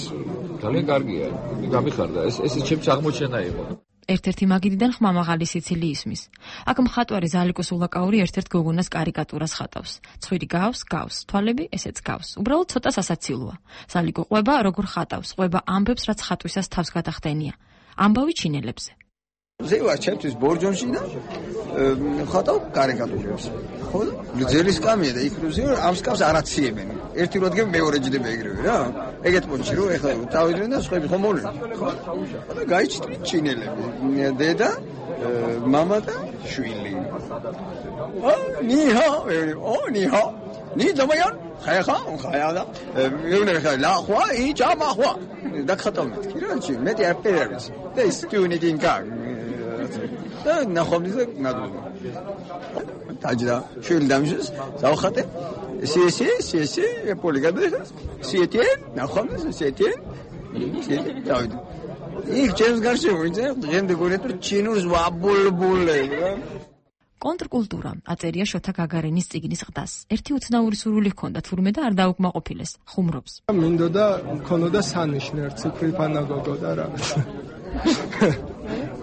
ძალიან კარგია გამიხარდა ეს ჩემს აღმოჩენა იყო ერთ-ერთი მაგიდიდან ხმამაღალი სიცილი ისმის. აქ მხატვარი ზალიკო სულაკაური ერთ-ერთ გოგონას კარიკატურას ხატავს. ცხვირი გავს, თვალები ესეც გავს. უბრალოდ ცოტა სასაცილოა. ზალიკო ყვება როგორ ხატავს, ყვება ამბებს, რაც ხატვისას თავს გადახდენია. ამბავი ჩინელებზე. ზევა ჩემთვის ბორჯომში და ხატავ კარიკატურებს. ხო? გძელი სკამია და იქრუზია ამ სკამს არაციებენ. ერთი როდგე მეორე ჯდება ეგრევე რა. ეგეთ პონჩი რო ეხლა თავიდან და სხვები ხომ მოლენ. ხო? და გაიჩნდნენ ჩინელები. დედა, მამა და შვილი. ნიჰა, ნიჰა. ნი ზამიან? ხაიხა, ხაიადა. მეუნე ხა ლახვა, იჯამახვა. და ხატავთ კი რა ჩი, მეტი აფერებს. და ის ტიუნიგინგა. და ნახომდიზე ნადულა. დაჯდა, შვილი დამჟეს, ზავხატე. სი, პოლიგადეს. სიეთენ, ნახომდიზე სიეთენ. დავით. იქ ჩემს გარშემო ვინც დღემდე გონეთურ ჩინურს ვაბულბულე. კონტრკულტურა აწერია შოთა გაგარინის წიგნის ყდას. ერთი უცნაური სურვილი ჰქონდა, თურმე და არ დაუკმაყოფილეს, ხუმრობს. მინდოდა მქონოდა სანიშნე ციფრი პანაგოგო და რაღაც.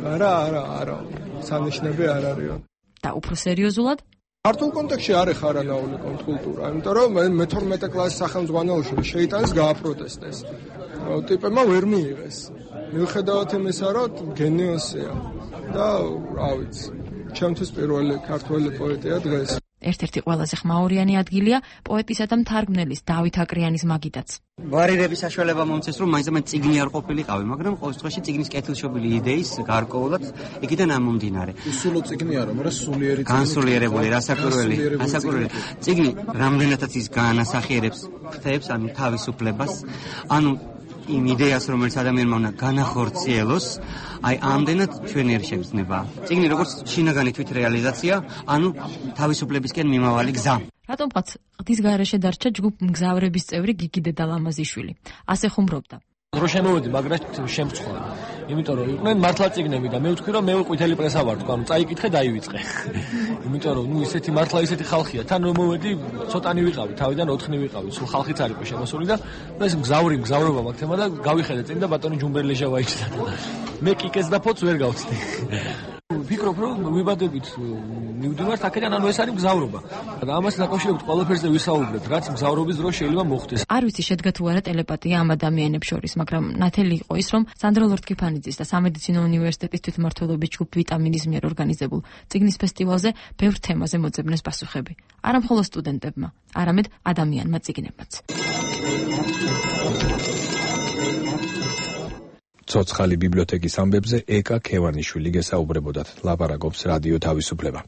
არა, სანიშნები არ არისო. და უფრო სერიოზულად ქართულ კონტექსტში არ ეხარანაული კონტრკულტურა, იმიტომ რომ მე-12 კლასის სახელმძღვანელოში შეიტანეს გააპროტესტეს. ტიპებმა ვერ მიიღეს. მიუხედავად იმისა, რომ გენიოსია და რა ვიცი, ჩემთვის პირველი ქართველი პოეტია დღეს. ერთ-ერთი ყველაზე ხმაურიანი ადგილია პოეტისა და მთარგმნელის დავით აკრიანის მაგიდაც. ვარირების საშუალება მომცეს, რომ მაინც წიგნი არ ყოფილიყავი, მაგრამ ყოველ შემთხვევაში წიგნის კეთილშობილი იდეის გარკვეულად იქიდან ამომდინარე. სულო წიგნი არა, მაგრამ სულიერი წიგნი. განსულიერებული, რასაკვირველი. წიგნი რამდენადაც ის განასახიერებს ხთებს, ანუ თავისუფლებას, ანუ იმ იდეას, რომელიც ადამიანმა უნდა განახორციელოს, აი ამდენად ჩვენ ვერ შეგრძნება. წიგნი როგორც შინაგანი თვითრეალიზაცია, ანუ თავისუფლებისკენ მიმავალი გზა. რატომღაც ყდის გარეშე დარჩა ჯგუფ მგზავრების წევრი გიგი დედალამაზიშვილი. ასე ხუმრობდა. რო შემოვედი, მაგრამ შემწხვდა. იმიტომ რომ იყვნენ მართლა წიგნები და მე ვთქვი რომ მე ყვითელი პრესა ვარ, თქვა, წაიკითხე, დაივიწყე. იმიტომ რომ ისეთი მართლა ისეთი ხალხია, თან რომ მოვედი, ცოტანი ვიყავი, თავიდან 4 ვიყავი, სულ ხალხიც არ იყო შემოსული და ეს მგზავრობა მაგ თემა და გავიხედე წინ და ბატონი ჯუმბერლეჟა ვაიჭდა. მე კიკეს და ფოც ვერ გავცდი. ვფიქრობ, რომ ვიბადებით მივდივართ აქედან, ანუ ეს არის მგზავრობა. და ამას დაკავშირებით ყველაფერზე ვისაუბრებთ, რაც მგზავრობის დროს შეიძლება მოხდეს. არ ვიცი შედგა თუ არა ტელეპათია ამ ადამიანებს შორის, მაგრამ ნათელი იყო ის, რომ სანდრო ლორთქიფანიძის და სამედიცინო უნივერსიტეტის თვითმმართველობის ჯგუფ ვიტამინის მიერ ორგანიზებულ წიგნის ფესტივალზე ბევრ თემაზე მოძებნეს პასუხები. არა მხოლოდ სტუდენტებმა, არამედ ადამიანმა წიგნებმაც. ცოცხალი ბიბლიოთეკის ამბებზე ეკა ქევანიშვილი გესაუბრებოდათ, ლაპარაკობს რადიო თავისუფლება.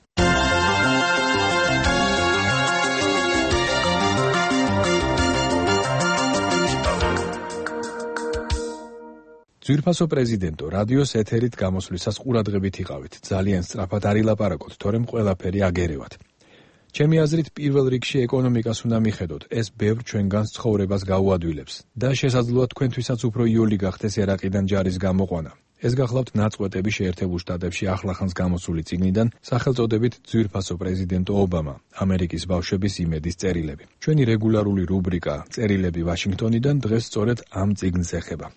ძვირფასო პრეზიდენტო, რადიოს ეთერით გამოსვლისას ყურადღებით იყავით. ძალიან სწრაფად არ ილაპარაკოთ, თორემ ყველაფერი აგერევათ. ჩემი აზრით, პირველ რიგში ეკონომიკას უნდა მიხედოთ. ეს ბევრ ჩვენგანს ცხოვრებას გაუადვილებს და შესაძლოა თქვენთვისაც უფრო იოლი გახდეს ერაყიდან ჯარის გამოყვანა. ეს გახლავთ ნაწყვეტები შეერთებულ შტატებში ახლახანს გამოსული წიგნიდან, სახელწოდებით ძვირფასო პრეზიდენტო ობამა, ამერიკის ბავშვების იმედის წერილები. ჩვენი რეგულარული რუბრიკა წერილები ვაშინგტონიდან დღეს სწორედ ამ წიგნს ეხება.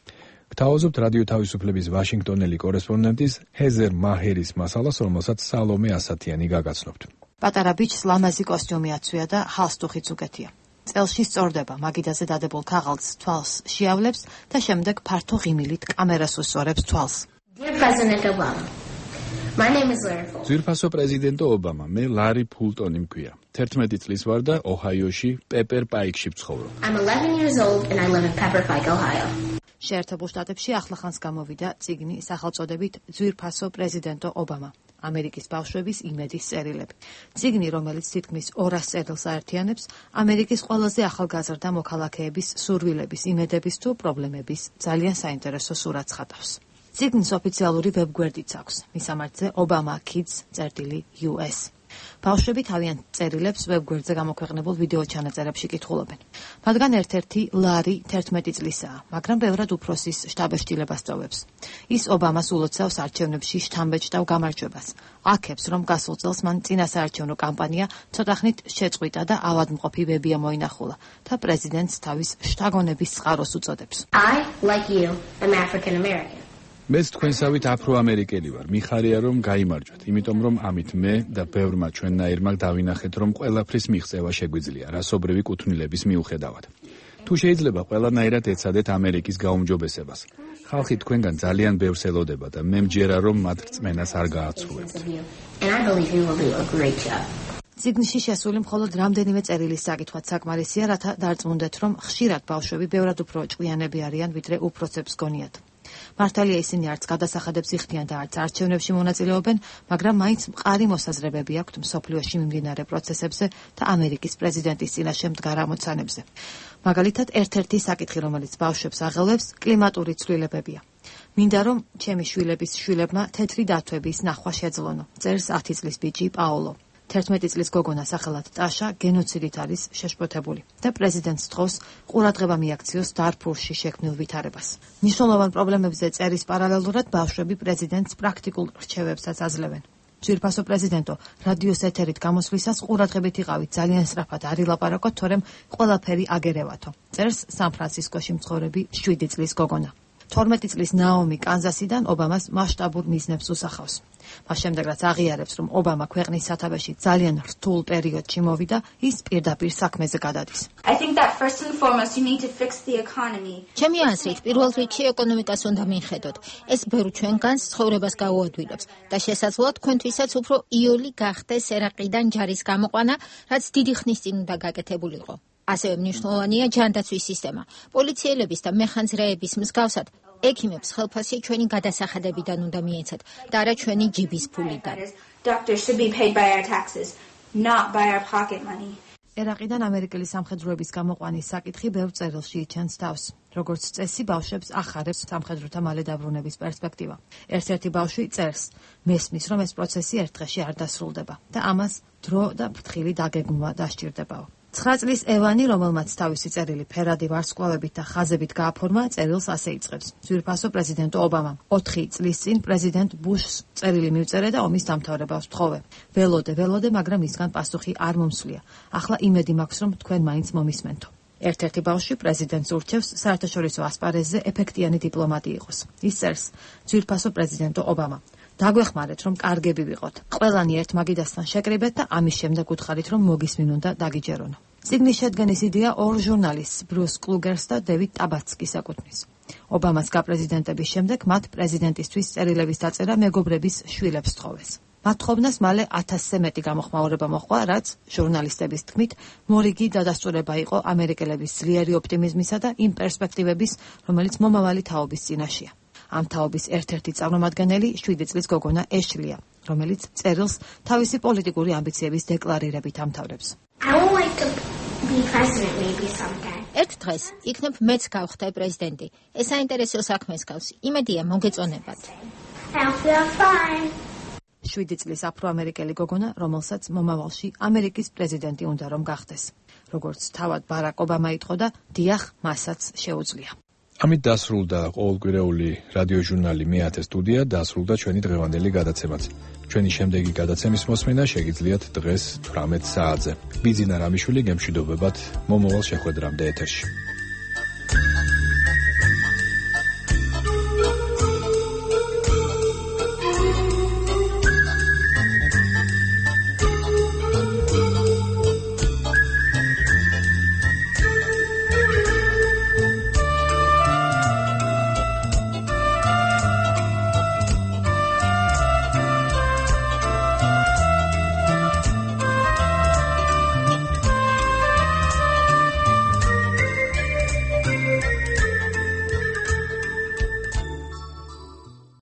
გთავაზობთ რადიო თავისუფლების ვაშინგტონელი კორესპონდენტის ჰეზერ მაჰერის მასალას, რომელსაც სალომე ასათიანი გაგაცნობთ. პატარა ბიჭს ლამაზი კოსტიუმი აცვია და ჰალსტუხიც უკეთია. წელში სწორდება, მაგიდაზე დადებულ ქაღალდს თვალს შეავლებს და შემდეგ ფართო ღიმილით კამერას უსწორებს თვალს. ძვირფასო პრეზიდენტო ობამა, მე ლარი ფულტონი მქვია. 11 წლის ვარ და ოჰაიოში პეპერ პაიკში ვცხოვრობ. შეერთებულ შტატებში ახლახანს გამოვიდა წიგნი სახელწოდებით ძვირფასო პრეზიდენტო ობამა. ამერიკის ბავშვების იმედის წერილები. წიგნი, რომელიც თითქმის 200 წერილს აერთიანებს, ამერიკის ყველაზე ახალგაზრდა მოქალაქეების სურვილების, იმედების თუ პრობლემების ძალიან საინტერესო სურათს ხატავს. წიგნის ოფიციალური ვებგვერდიც აქვს. მისამართზე obama.kids.us. ბავშვები თავიანთ წერილებს ვებგვერდზე გამოქვეყნებულ ვიდეო ჩანაწერებში კითხულობენ. მათგან ერთ-ერთი ლარი 11 წლისაა, მაგრამ ბევრად უფროსის შტაბეშტილებას სწოვებს. ის ობამას ულოცავს არჩევნებში შთამბეჭდავ გამარჯვებას. აქებს, რომ გასულ წელს მან წინასაარჩევნო კამპანია ცოტახნით შეწყვიტა და ავადმყოფი ვებია მოინახულა და პრეზიდენტს თავის შთაგონების წყაროს უწოდებს. I, like you, am African American. მეც თქვენსავით აფრო-ამერიკელი ვარ. მიხარია რომ გაიმარჯვეთ, იმიტომ რომ ამით მე და ბევრმა ჩვენნაირმა დავინახეთ, რომ ყველაფრის მიღწევა შეგვიძლია, რასობრივი კუთვნილების მიუხედავად. თუ შეიძლება ყველანაირად ეცადეთ ამერიკის გაუმჯობესებას. ხალხი თქვენგან ძალიან ბევრს ელოდება და მე მჯერა რომ მათ რწმენას არ გააცრუებთ. წიგნში შესული მხოლოდ რამდენიმე წერილის საკითხვაც საკმარისია, რათა დარწმუნდეთ, რომ ხშირად ბავშვები ბევრად უფრო ჭკვიანები არიან, ვიდრე უფროსებს გონიათ. მართალია ისინი არც გადასახადებს იხდიან და არც არჩევნებში მონაწილეობენ, მაგრამ მაინც მყარი მოსაზრებები აქვთ მსოფლიოში მიმდინარე პროცესებზე და ამერიკის პრეზიდენტის წინაშე მდგარ ამოცანებზე. მაგალითად, ერთ-ერთი საკითხი, რომელიც ბავშვებს აღელვებს, კლიმატური ცვლილებებია. მინდა რომ ჩემი შვილების შვილებმა თეთრი დათვების ნახვა შეძლონო, წერს 10 წლის ბიჭი პაოლო. 11 წლის გოგონა სახელად ტაშა გენოციდით არის შეშფოთებული და პრეზიდენტს თხოვს ყურადღება მიაქციოს დარფურში შექმნილ ვითარებას. მნიშვნელოვან პრობლემებზე წერის პარალელურად ბავშვები პრეზიდენტს პრაქტიკულ რჩევებსაც აძლევენ. ძვირფასო პრეზიდენტო, რადიოს ეთერით გამოსვლისას ყურადღებით იყავით, ძალიან სწრაფად არ ილაპარაკოთ, თორემ ყველაფერი აგერევათო. წერს სან-ფრანცისკოში მცხოვრები 7 წლის გოგონა. 12 წლის ნაომი კანზასიდან ობამას მასშტაბურ მიზნებს უსახავს. მას შემდეგ რაც აღიარებს, რომ ობამა ქვეყნის სათავეში ძალიან რთულ პერიოდში მოვიდა, ის პირდაპირ საქმეზე გადადის. ჩემი აზრით, პირველ რიგში ეკონომიკას უნდა მიხედოთ. ეს ბევრ ჩვენგანს ცხოვრებას გაუადვილებს და შესაძლოა თქვენთვისაც უფრო იოლი გახდეს ერაყიდან ჯარის გამოყვანა, რაც დიდი ხნის წინ უნდა გაკეთებულიყო. ასევე მნიშვნელოვანია ჯანდაცვის სისტემა. პოლიციელების და მეხანძრეების მსგავსად, ექიმებს ხელფასი ჩვენი გადასახადებიდან უნდა მიეცათ და არა ჩვენი ჯიბის ფულიდან. ერაყიდან ამერიკელი სამხედროების გამოყვანის საკითხი ბევრ წერილში იჩენს თავს. როგორც წესი, ბავშვებს ახარებს სამხედროთა მალე დაბრუნების პერსპექტივა. ერთ-ერთი ბავშვი წერს, მესმის, რომ ეს პროცესი ერთ დღეში არ დასრულდება და ამას დრო და ფრთხილი დაგეგმვა დასჭირდებაო. 9 წლის ევანი, რომელმაც თავისი წერილი ფერადი ვარსკვლავებით და ხაზებით გააფორმა, წერილს ასე იწყებს. ძვირფასო პრეზიდენტო ობამა. 4 წლის წინ პრეზიდენტ ბუშს წერილი მივწერე და ომის დამთავრებას ვთხოვე. ველოდე, მაგრამ მისგან პასუხი არ მომსვლია. ახლა იმედი მაქვს, რომ თქვენ მაინც მომისმენთო. ერთ-ერთი ბავშვი პრეზიდენტს ურჩევს საერთაშორისო ასპარეზზე ეფექტიანი დიპლომატი იყოს. ის წერს, ძვირფასო პრეზიდენტო ობამა. დაგვეხმარეთ, რომ კარგები ვიყოთ. ყველანი ერთ მაგიდასთან შეკრიბეთ და ამის შემდეგ უთხარით, რომ მოგისმინონ და დაგიჯერონ. წიგნის შედგენის იდეა ორ ჟურნალისტს, ბრუს კლუგერს და დევიდ ტაბაცკის ეკუთვნის. ობამას გაპრეზიდენტების შემდეგ მათ პრეზიდენტისთვის წერილების დაწერა მეგობრების შვილებს სთხოვეს. მათ თხოვნას მალე 1000-ზე მეტი გამოხმაურება მოჰყვა, რაც ჟურნალისტების თქმით მორიგი დადასტურება იყო ამერიკელების ძლიერი ოპტიმიზმისა და იმ პერსპექტივების, რომელიც მომავალი თაობის წინაშეა. ამ თაობის ერთ-ერთი წარმომადგენელი 7 წლის გოგონა ეშლია, რომელიც წერილს თავისი პოლიტიკური ამბიციების დეკლარირებით ამთავრებს. ერთ დღეს იქნებ მეც გავხდე პრეზიდენტი. ეს საინტერესო საქმეს გავს. იმედია მოგეწონებათ. 7 წლის აფროამერიკელი გოგონა, რომელსაც მომავალში ამერიკის პრეზიდენტი უნდა რომ გახდეს. როგორც თავად ბარაკ ობამა იტყოდა, დიახ, მასაც შეუძლია. ამით დასრულდა ყოველკვირეული რადიოჟურნალი მე-10 სტუდია, დასრულდა ჩვენი დღევანდელი გადაცემაც. ჩვენი შემდეგი გადაცემის მოსმენა შეგიძლიათ დღეს 18 საათზე. ბიძინა რამიშვილი გემშვიდობებათ მომავალ შეხვედრამდე ეთერში.